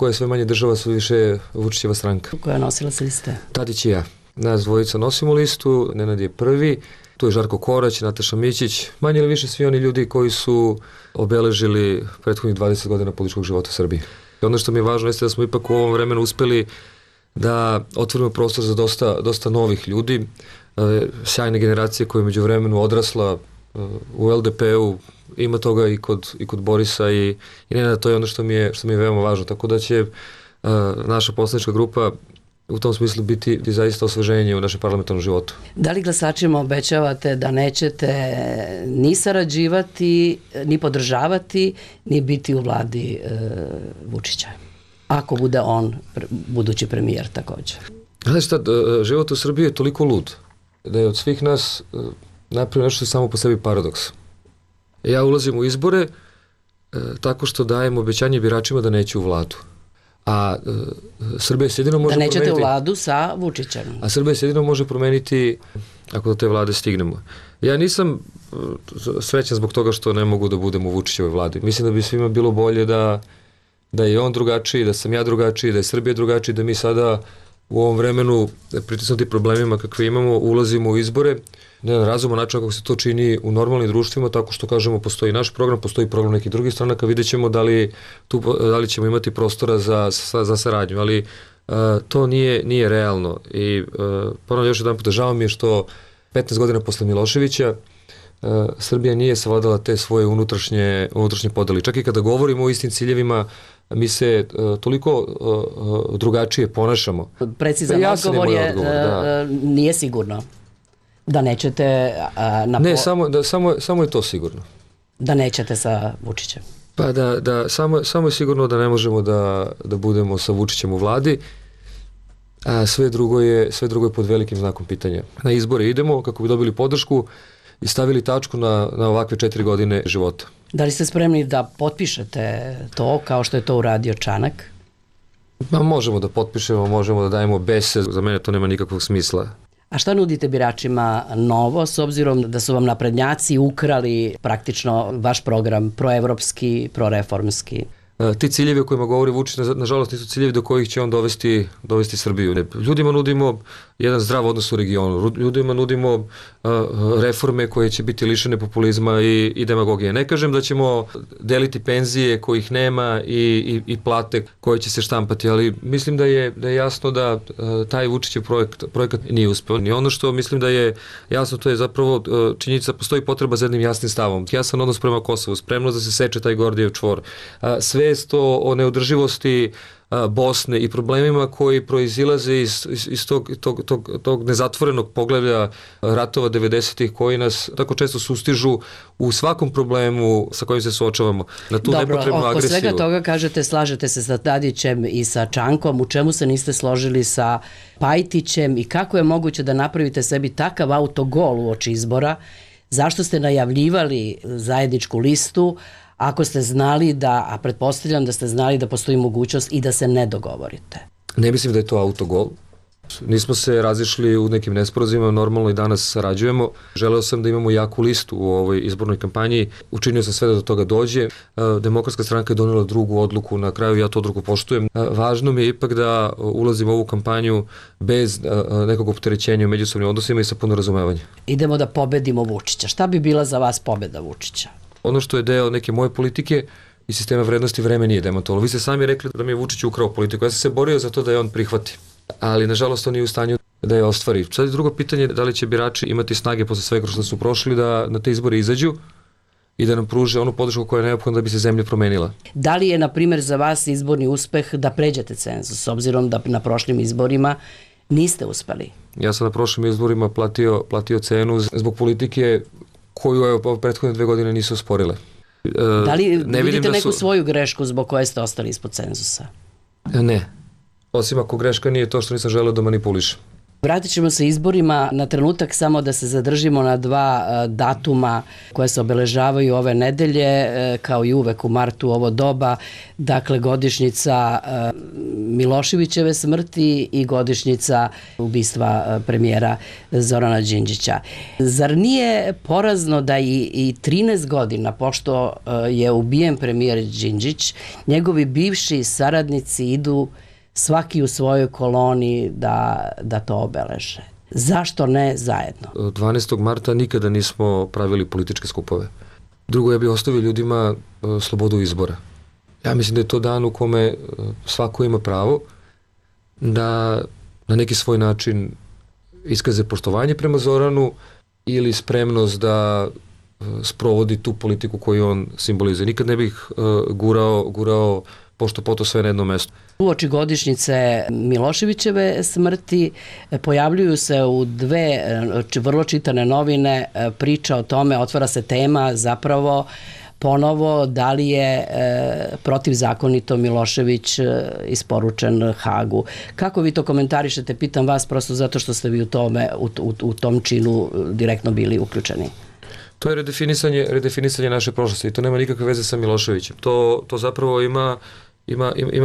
S19: je sve manje država, sve više Vučićeva stranka.
S23: Koja nosila se liste?
S19: Tadić i ja. Nas dvojica nosimo listu, Nenad je prvi, tu je Žarko Korać, Nataša Mićić, manje ili više svi oni ljudi koji su obeležili prethodnih 20 godina političkog života u Srbiji. Ono što mi je važno jeste da smo ipak u ovom vremenu uspeli da otvorimo prostor za dosta novih ljudi, sjajne generacije koja je među vremenu odrasla u LDP-u, ima toga i kod Borisa i Nenada, to je ono što mi je veoma važno, tako da će naša poslanička grupa u tom smislu biti zaista osveženje u našem parlamentarnom životu.
S23: Da li glasačima obećavate da nećete ni sarađivati, ni podržavati, ni biti u vladi Vučića? Ako bude on budući premijer također.
S19: Znači šta, život u Srbiji je toliko lud da je od svih nas napravio nešto samo po sebi paradoks. Ja ulazim u izbore tako što dajem obećanje biračima da neću u vladu. A Srbija se jedino može promeniti...
S23: Da nećete u vladu sa Vučićem.
S19: A Srbija se jedino može promeniti ako do te vlade stignemo. Ja nisam srećan zbog toga što ne mogu da budem u Vučićevoj vladi. Mislim da bi svima bilo bolje da je on drugačiji, da sam ja drugačiji, da je Srbija drugačiji, da mi sada u ovom vremenu pritisnuti problemima kakve imamo, ulazimo u izbore na jedan razuman način kako se to čini u normalnim društvima, tako što kažemo postoji naš program, postoji program nekih drugih stranaka, vidjet ćemo da li ćemo imati prostora za saradnju, ali to nije realno. I ponovno još jedan puta, žao mi je što 15 godina posle Miloševića Srbija nije savladala te svoje unutrašnje podeli. Čak i kada govorimo o istim ciljevima, mi se toliko drugačije ponašamo.
S23: Precizan odgovor je nije sigurno. Da nećete...
S19: Ne, samo je to sigurno.
S23: Da nećete sa Vučićem.
S19: Pa samo je sigurno da ne možemo da budemo sa Vučićem u vladi, a sve drugo je pod velikim znakom pitanja. Na izbore idemo kako bi dobili podršku i stavili tačku na ovakve 4 godine života.
S23: Da li ste spremni da potpišete to kao što je to uradio Čanak?
S19: Možemo da potpišemo, možemo da dajemo bese, za mene to nema nikakvog smisla.
S23: A šta nudite biračima novo, s obzirom da su vam naprednjaci ukrali praktično vaš program proevropski, proreformski?
S19: Ti ciljevi o kojima govori Vučić, nažalost, nisu ciljevi do kojih će on dovesti Srbiju. Ljudima nudimo jedan zdrav odnos u regionu. Ljudima nudimo reforme koje će biti lišene populizma i demagogije. Ne kažem da ćemo deliti penzije kojih nema i plate koje će se štampati, ali mislim da je jasno da taj Vučićev projekat nije uspeo. I ono što mislim da je jasno, to je zapravo činjenica, postoji potreba za jednim jasnim stavom. Jasan odnos prema Kosovu, spremnost da se seče taj Gordijev čvor. Svest o neodrživosti Bosne i problemima koji proizilaze iz tog nezatvorenog poglavlja ratova 90-ih koji nas tako često sustižu u svakom problemu sa kojim se suočavamo. Na tu nepotrebnu agresiju.
S23: Oko svega toga kažete, slažete se sa Tadićem i sa Čankom, u čemu se niste složili sa Pajtićem i kako je moguće da napravite sebi takav autogol uoči izbora? Zašto ste najavljivali zajedničku listu ako ste znali a pretpostavljam da ste znali da postoji mogućnost i da se ne dogovorite?
S19: Ne mislim da je to autogol. Nismo se razišli u nekim nesporazima, normalno i danas sarađujemo. Želeo sam da imamo jaku listu u ovoj izbornoj kampanji. Učinio sam sve da do toga dođe. Demokratska stranka je donela drugu odluku, na kraju ja tu odluku poštujem. Važno mi je ipak da ulazim u ovu kampanju bez nekog opterećenja u međusobnim odnosima i sa puno razumevanja.
S23: Idemo da pobedimo Vučića. Šta bi bila za vas pobeda Vučića?
S19: Ono što je deo neke moje politike i sistema vrednosti, vreme nije demantovalo. Vi ste sami rekli da mi je Vučić ukrao politiku. Ja sam se borio za to da je on prihvati. Ali nažalost on nije u stanju da je ostvari. Sad je drugo pitanje da li će birači imati snage posle svega što su prošli da na te izbore izađu i da nam pruže onu podršku koja je neophodna da bi se zemlja promenila.
S23: Da li je, na primjer, za vas izborni uspeh da pređete cenzus, s obzirom da na prošlim izborima niste uspeli?
S19: Ja sam na prošlim izborima platio cenu zbog politike koju prethodne 2 godine nisu usporile.
S23: Da li vidite neku svoju grešku zbog koje ste ostali ispod cenzusa?
S19: Ne. Osim ako greška nije to što nisam želeo da manipulišem.
S23: Vratit ćemo se izborima na trenutak, samo da se zadržimo na 2 datuma koje se obeležavaju ove nedelje, kao i uvek u martu ovo doba, dakle godišnjica Miloševićeve smrti i godišnjica ubistva premijera Zorana Đinđića. Zar nije porazno da i 13 godina, pošto je ubijen premijer Đinđić, njegovi bivši saradnici idu svaki u svojoj koloni da to obeleže? Zašto ne zajedno?
S19: 12. marta nikada nismo pravili političke skupove. Drugo, ja bih ostavio ljudima slobodu izbora. Ja mislim da je to dan u kome svako ima pravo da na neki svoj način iskaže poštovanje prema Zoranu ili spremnost da sprovodi tu politiku koju on simbolizuje. Nikad ne bih gurao pošto poto sve na jedno mesto.
S23: Uoči godišnjice Miloševićeve smrti pojavljuju se u 2 vrlo čitane novine priča o tome, otvara se tema zapravo ponovo da li je protivzakonito Milošević isporučen Hagu. Kako vi to komentarišete? Pitam vas prosto zato što ste vi u tom činu direktno bili uključeni.
S19: To je redefinisanje naše prošlosti i to nema nikakve veze sa Miloševićem. To zapravo ima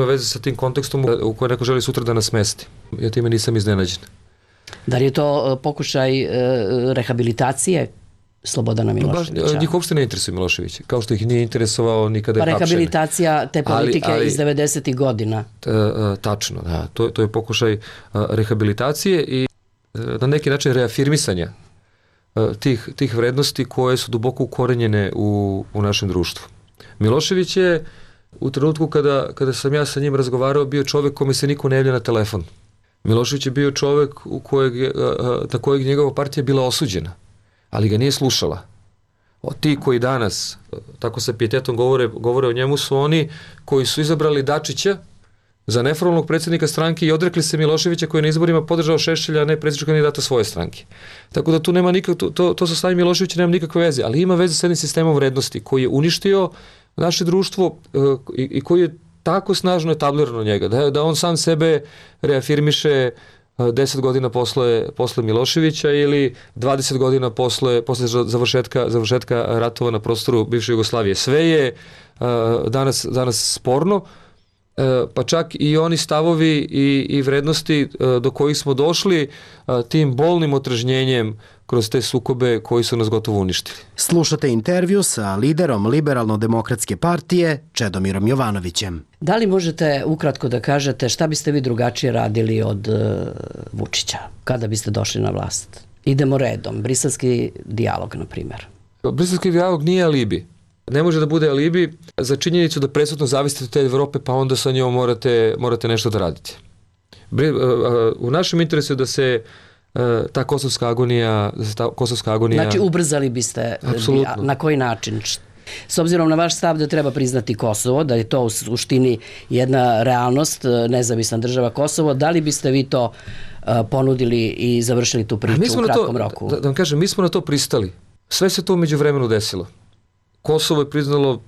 S19: veze sa tim kontekstom u kojem neko želi sutra da nas smesti. Ja time nisam iznenađen.
S23: Da li je to pokušaj rehabilitacije Slobodana Miloševića?
S19: Njih uopšte ne interesuje Milošević, kao što ih nije interesovao nikada je hapšen.
S23: Rehabilitacija te politike iz 90. godina.
S19: Tačno, da. To je pokušaj rehabilitacije i na neki način reafirmisanja tih vrednosti koje su duboko ukorenjene u našem društvu. Milošević je u trenutku kada sam ja sa njim razgovarao bio čovjek kome se niko ne javlja na telefon. Milošević je bio čovjek na kojeg njegova partija bila osuđena, ali ga nije slušala. Ti koji danas tako sa pijetetom govore o njemu su oni koji su izabrali Dačića za neformalnog predsjednika stranke i odrekli se Miloševića koji je na izborima podržao Šešelja, a ne predsjedničkog kandidata svoje stranke. Tako da tu nema to sa stavim Miloševića nema nikakve veze, ali ima veze sa jednim sistemom vrednosti koji je uništio naše društvo i koji je tako snažno etablirano njega, da on sam sebe reafirmiše 10 godina posle Miloševića ili 20 godina posle završetka ratova na prostoru bivše Jugoslavije. Sve je danas sporno, pa čak i oni stavovi i vrednosti do kojih smo došli tim bolnim otrežnjenjem kroz te sukobe koji su nas gotovo uništili.
S4: Slušate intervju sa liderom Liberalno-demokratske partije Čedomirom Jovanovićem.
S23: Da li možete ukratko da kažete šta biste vi drugačije radili od Vučića kada biste došli na vlast? Idemo redom. Briselski dijalog, na primjer.
S19: Briselski dijalog nije alibi. Ne može da bude alibi za činjenicu da presudno zavisite od te Evrope, pa onda sa njom morate nešto da radite. U našem interesu je da se ta kosovska agonija...
S23: Znači, ubrzali biste.
S19: Apsolutno.
S23: Na koji način? S obzirom na vaš stav da treba priznati Kosovo, da je to u suštini jedna realnost, nezavisna država Kosovo, da li biste vi to ponudili i završili tu priču u kratkom roku?
S19: Da vam kažem, mi smo na to pristali. Sve se to umeđu vremenu desilo. Kosovo je priznalo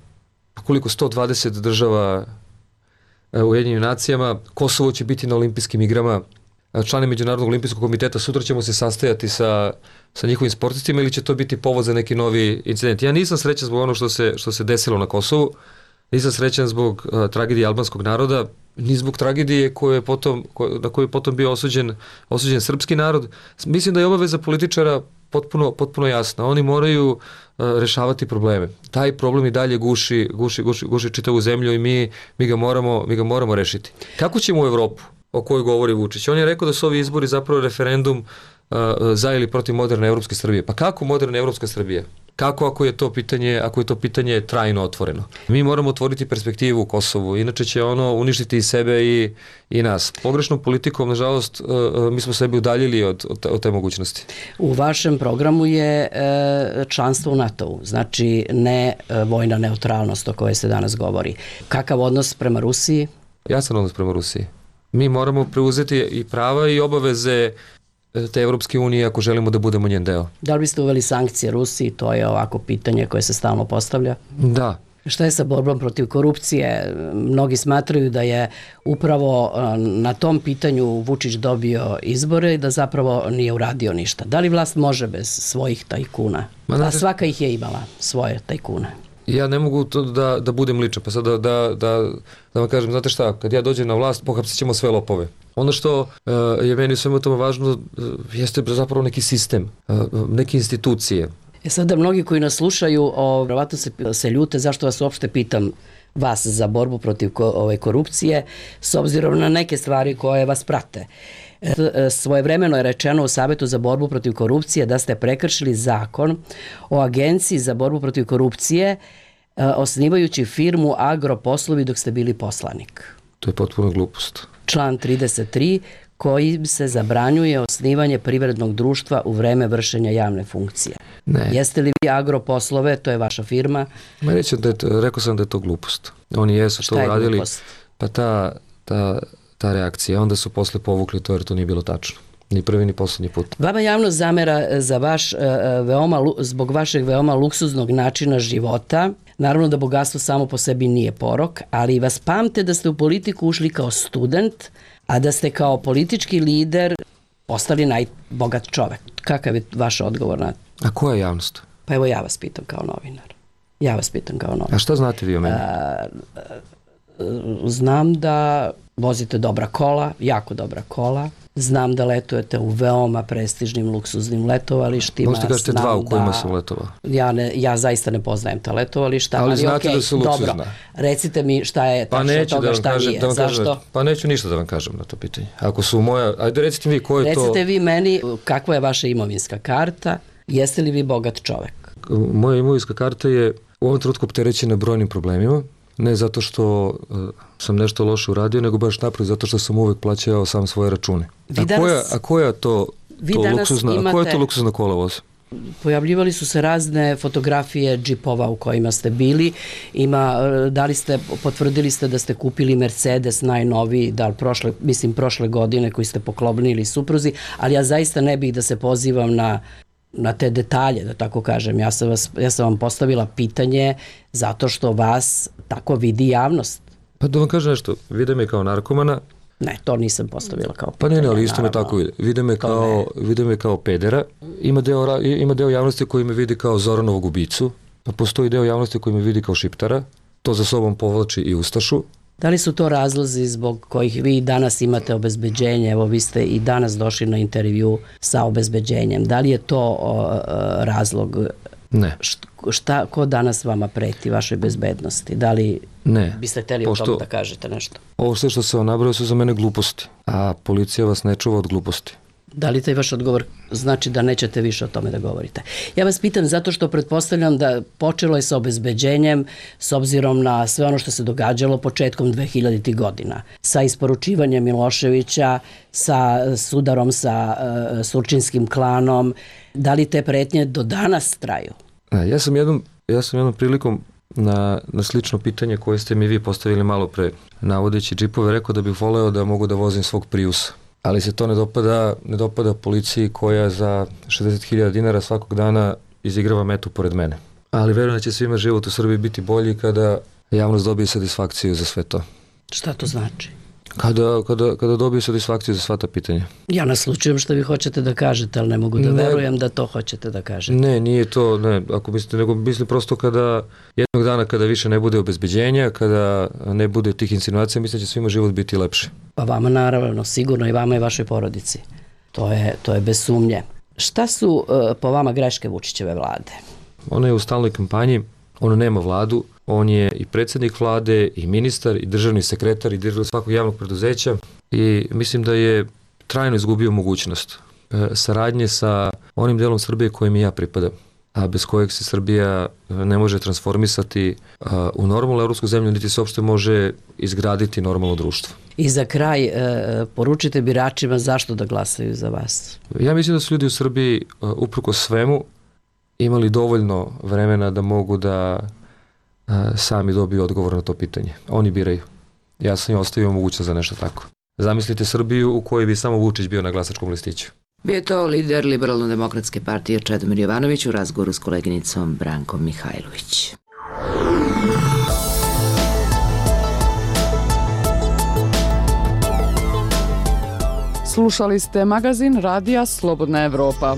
S19: koliko 120 država u Ujedinjenim nacijama. Kosovo će biti na olimpijskim igrama. Člani Međunarodnog olimpijskog komiteta, sutra ćemo se sastajati sa njihovim sportistima ili će to biti povod za neki novi incident. Ja nisam srećan zbog ono što se desilo na Kosovu, nisam srećan zbog tragedije albanskog naroda, ni zbog tragedije na koju je potom bio osuđen srpski narod. Mislim da je obaveza političara potpuno jasna. Oni moraju rešavati probleme. Taj problem i dalje guši čitavu zemlju i mi ga moramo rešiti. Kako ćemo u Evropu o kojoj govori Vučić? On je rekao da su ovi izbori zapravo referendum za ili protiv moderne evropske Srbije. Pa kako moderne evropska Srbija? Kako ako je to pitanje trajno otvoreno? Mi moramo otvoriti perspektivu u Kosovu, inače će ono uništiti i sebe i nas. Pogrešnom politikom, nažalost, mi smo sebi udaljili od te mogućnosti.
S23: U vašem programu je članstvo u NATO-u, znači ne vojna neutralnost o kojoj se danas govori. Kakav odnos prema Rusiji?
S19: Jasan odnos prema Rusiji. Mi moramo preuzeti i prava i obaveze te Evropske unije ako želimo da budemo njen deo.
S23: Da li biste uveli sankcije Rusiji? To je ovako pitanje koje se stalno postavlja.
S19: Da.
S23: Šta je sa borbom protiv korupcije? Mnogi smatraju da je upravo na tom pitanju Vučić dobio izbore i da zapravo nije uradio ništa. Da li vlast može bez svojih tajkuna? A svaka ih je imala, svoje tajkune.
S19: Ja ne mogu to da budem ličan, pa sad da vam kažem, znate šta, kad ja dođem na vlast, pohapsit ćemo sve lopove. Ono što je meni svema tome važno jeste zapravo neki sistem, neke institucije.
S23: Sada mnogi koji nas slušaju, vjerovatno se ljute zašto vas uopšte pitam vas za borbu protiv korupcije, s obzirom na neke stvari koje vas prate. Svojevremeno je rečeno u Savetu za borbu protiv korupcije da ste prekršili zakon o Agenciji za borbu protiv korupcije osnivajući firmu Agroposlovi dok ste bili poslanik.
S19: To je potpuno glupost.
S23: Član 33 kojim se zabranjuje osnivanje privrednog društva u vreme vršenja javne funkcije.
S19: Ne.
S23: Jeste li vi Agroposlove, to je vaša firma?
S19: Rekao sam da je to glupost. Oni jesu to uradili. Šta je glupost? Pa ta reakcija, onda su posle povukli to jer to nije bilo tačno. Ni prvi ni poslednji put.
S23: Vama javnost zamera za zbog vašeg veoma luksuznog načina života. Naravno da bogatstvo samo po sebi nije porok, ali vas pamte da ste u politiku ušli kao student, a da ste kao politički lider postali najbogat čovek. Kakav je vaš odgovor na to?
S19: A koja je javnost?
S23: Pa evo ja vas pitam kao novinar.
S19: A šta znate vi o meni?
S23: Znam da vozite dobra kola, jako dobra kola. Znam da letujete u veoma prestižnim, luksuznim letovalištima.
S19: Možete kažete dva u kojima sam letovao.
S23: Ja zaista ne poznajem ta letovališta.
S19: Ali znate da su luksuzna.
S23: Dobro, recite mi šta je tačno toga, šta nije. Zašto?
S19: Pa neću ništa da vam kažem na to pitanje. Ako su moja, ajde recite mi ko je to...
S23: Recite vi meni kakva je vaša imovinska karta, jeste li vi bogat čovek?
S19: Moja imovinska karta je u ovom trenutku opterećena brojnim problemima. Ne zato što sam nešto loše uradio, nego baš naprotiv zato što sam uvek plaćao sam svoje račune. A koja je to luksuzna kola voz?
S23: Pojavljivali su se razne fotografije džipova u kojima ste bili. Potvrdili ste da ste kupili Mercedes najnoviji, prošle godine koji ste poklonili supruzi, ali ja zaista ne bih da se pozivam na te detalje, da tako kažem. Ja sam vam postavila pitanje zato što vas tako vidi javnost.
S19: Pa da vam kažem nešto, vide me kao narkomana.
S23: Ne, to nisam postavila kao
S19: pitanje. Pa ne, ali isto me tako vide. Vide me kao pedera. Ima deo javnosti koji me vidi kao Zoranovog ubicu, a postoji deo javnosti koji me vidi kao šiptara. To za sobom povlači i ustašu.
S23: Da li su to razlozi zbog kojih vi danas imate obezbeđenje? Evo, vi ste i danas došli na intervju sa obezbeđenjem. Da li je to razlog?
S19: Ne.
S23: Ko danas vama preti vašoj bezbednosti? Da li biste hteli o tom da kažete nešto?
S19: Ovo sve što se vam nabrao su za mene gluposti, a policija vas ne čuva od gluposti.
S23: Da li taj vaš odgovor znači da nećete više o tome da govorite? Ja vas pitam zato što pretpostavljam da počelo je sa obezbeđenjem s obzirom na sve ono što se događalo početkom 2000. godina. Sa isporučivanjem Miloševića, sa sudarom sa surčinskim klanom. Da li te pretnje do danas traju?
S19: Ja sam jednom prilikom na slično pitanje koje ste mi vi postavili malo pre, navodeći džipove, rekao da bih voleo da mogu da vozim svog Priusa. Ali se to ne dopada policiji koja za 60.000 dinara svakog dana izigrava metu pored mene. Ali verujem da će svima život u Srbiji biti bolji kada javnost dobije satisfakciju za sve to.
S23: Šta to znači?
S19: Kada dobiju satisfakciju za sva ta pitanja.
S23: Ja naslučujem što vi hoćete da kažete, ali ne mogu da verujem da to hoćete da kažete.
S19: Ne, nije to, ne, ako mislite, nego mislim prosto kada jednog dana kada više ne bude obezbeđenja, kada ne bude tih insinuacija, mislim da će svima život biti lepši.
S23: Pa vama naravno, sigurno i vama i vašoj porodici. To je bez sumnje. Šta su po vama greške Vučićeve vlade?
S19: Ona je u stalnoj kampanji, ona nema vladu, on je i predsjednik vlade, i ministar, i državni sekretar, i direktor svakog javnog preduzeća i mislim da je trajno izgubio mogućnost saradnje sa onim delom Srbije kojim i ja pripadam, a bez kojeg se Srbija ne može transformisati u normalnu evropsku zemlju, niti se uopšte može izgraditi normalno društvo.
S23: I za kraj, poručite biračima zašto da glasaju za vas?
S19: Ja mislim da su ljudi u Srbiji, uprkos svemu, imali dovoljno vremena da mogu da sami dobiju odgovor na to pitanje. Oni biraju. Ja sam im ostavio mogućnost za nešto tako. Zamislite Srbiju u kojoj bi samo Vučić bio na glasačkom listiću.
S3: Bio je to lider Liberalno-demokratske partije Čedomir Jovanović u razgovoru s koleginicom Brankom Mihajlović.
S2: Slušali ste magazin Radija Slobodna Evropa.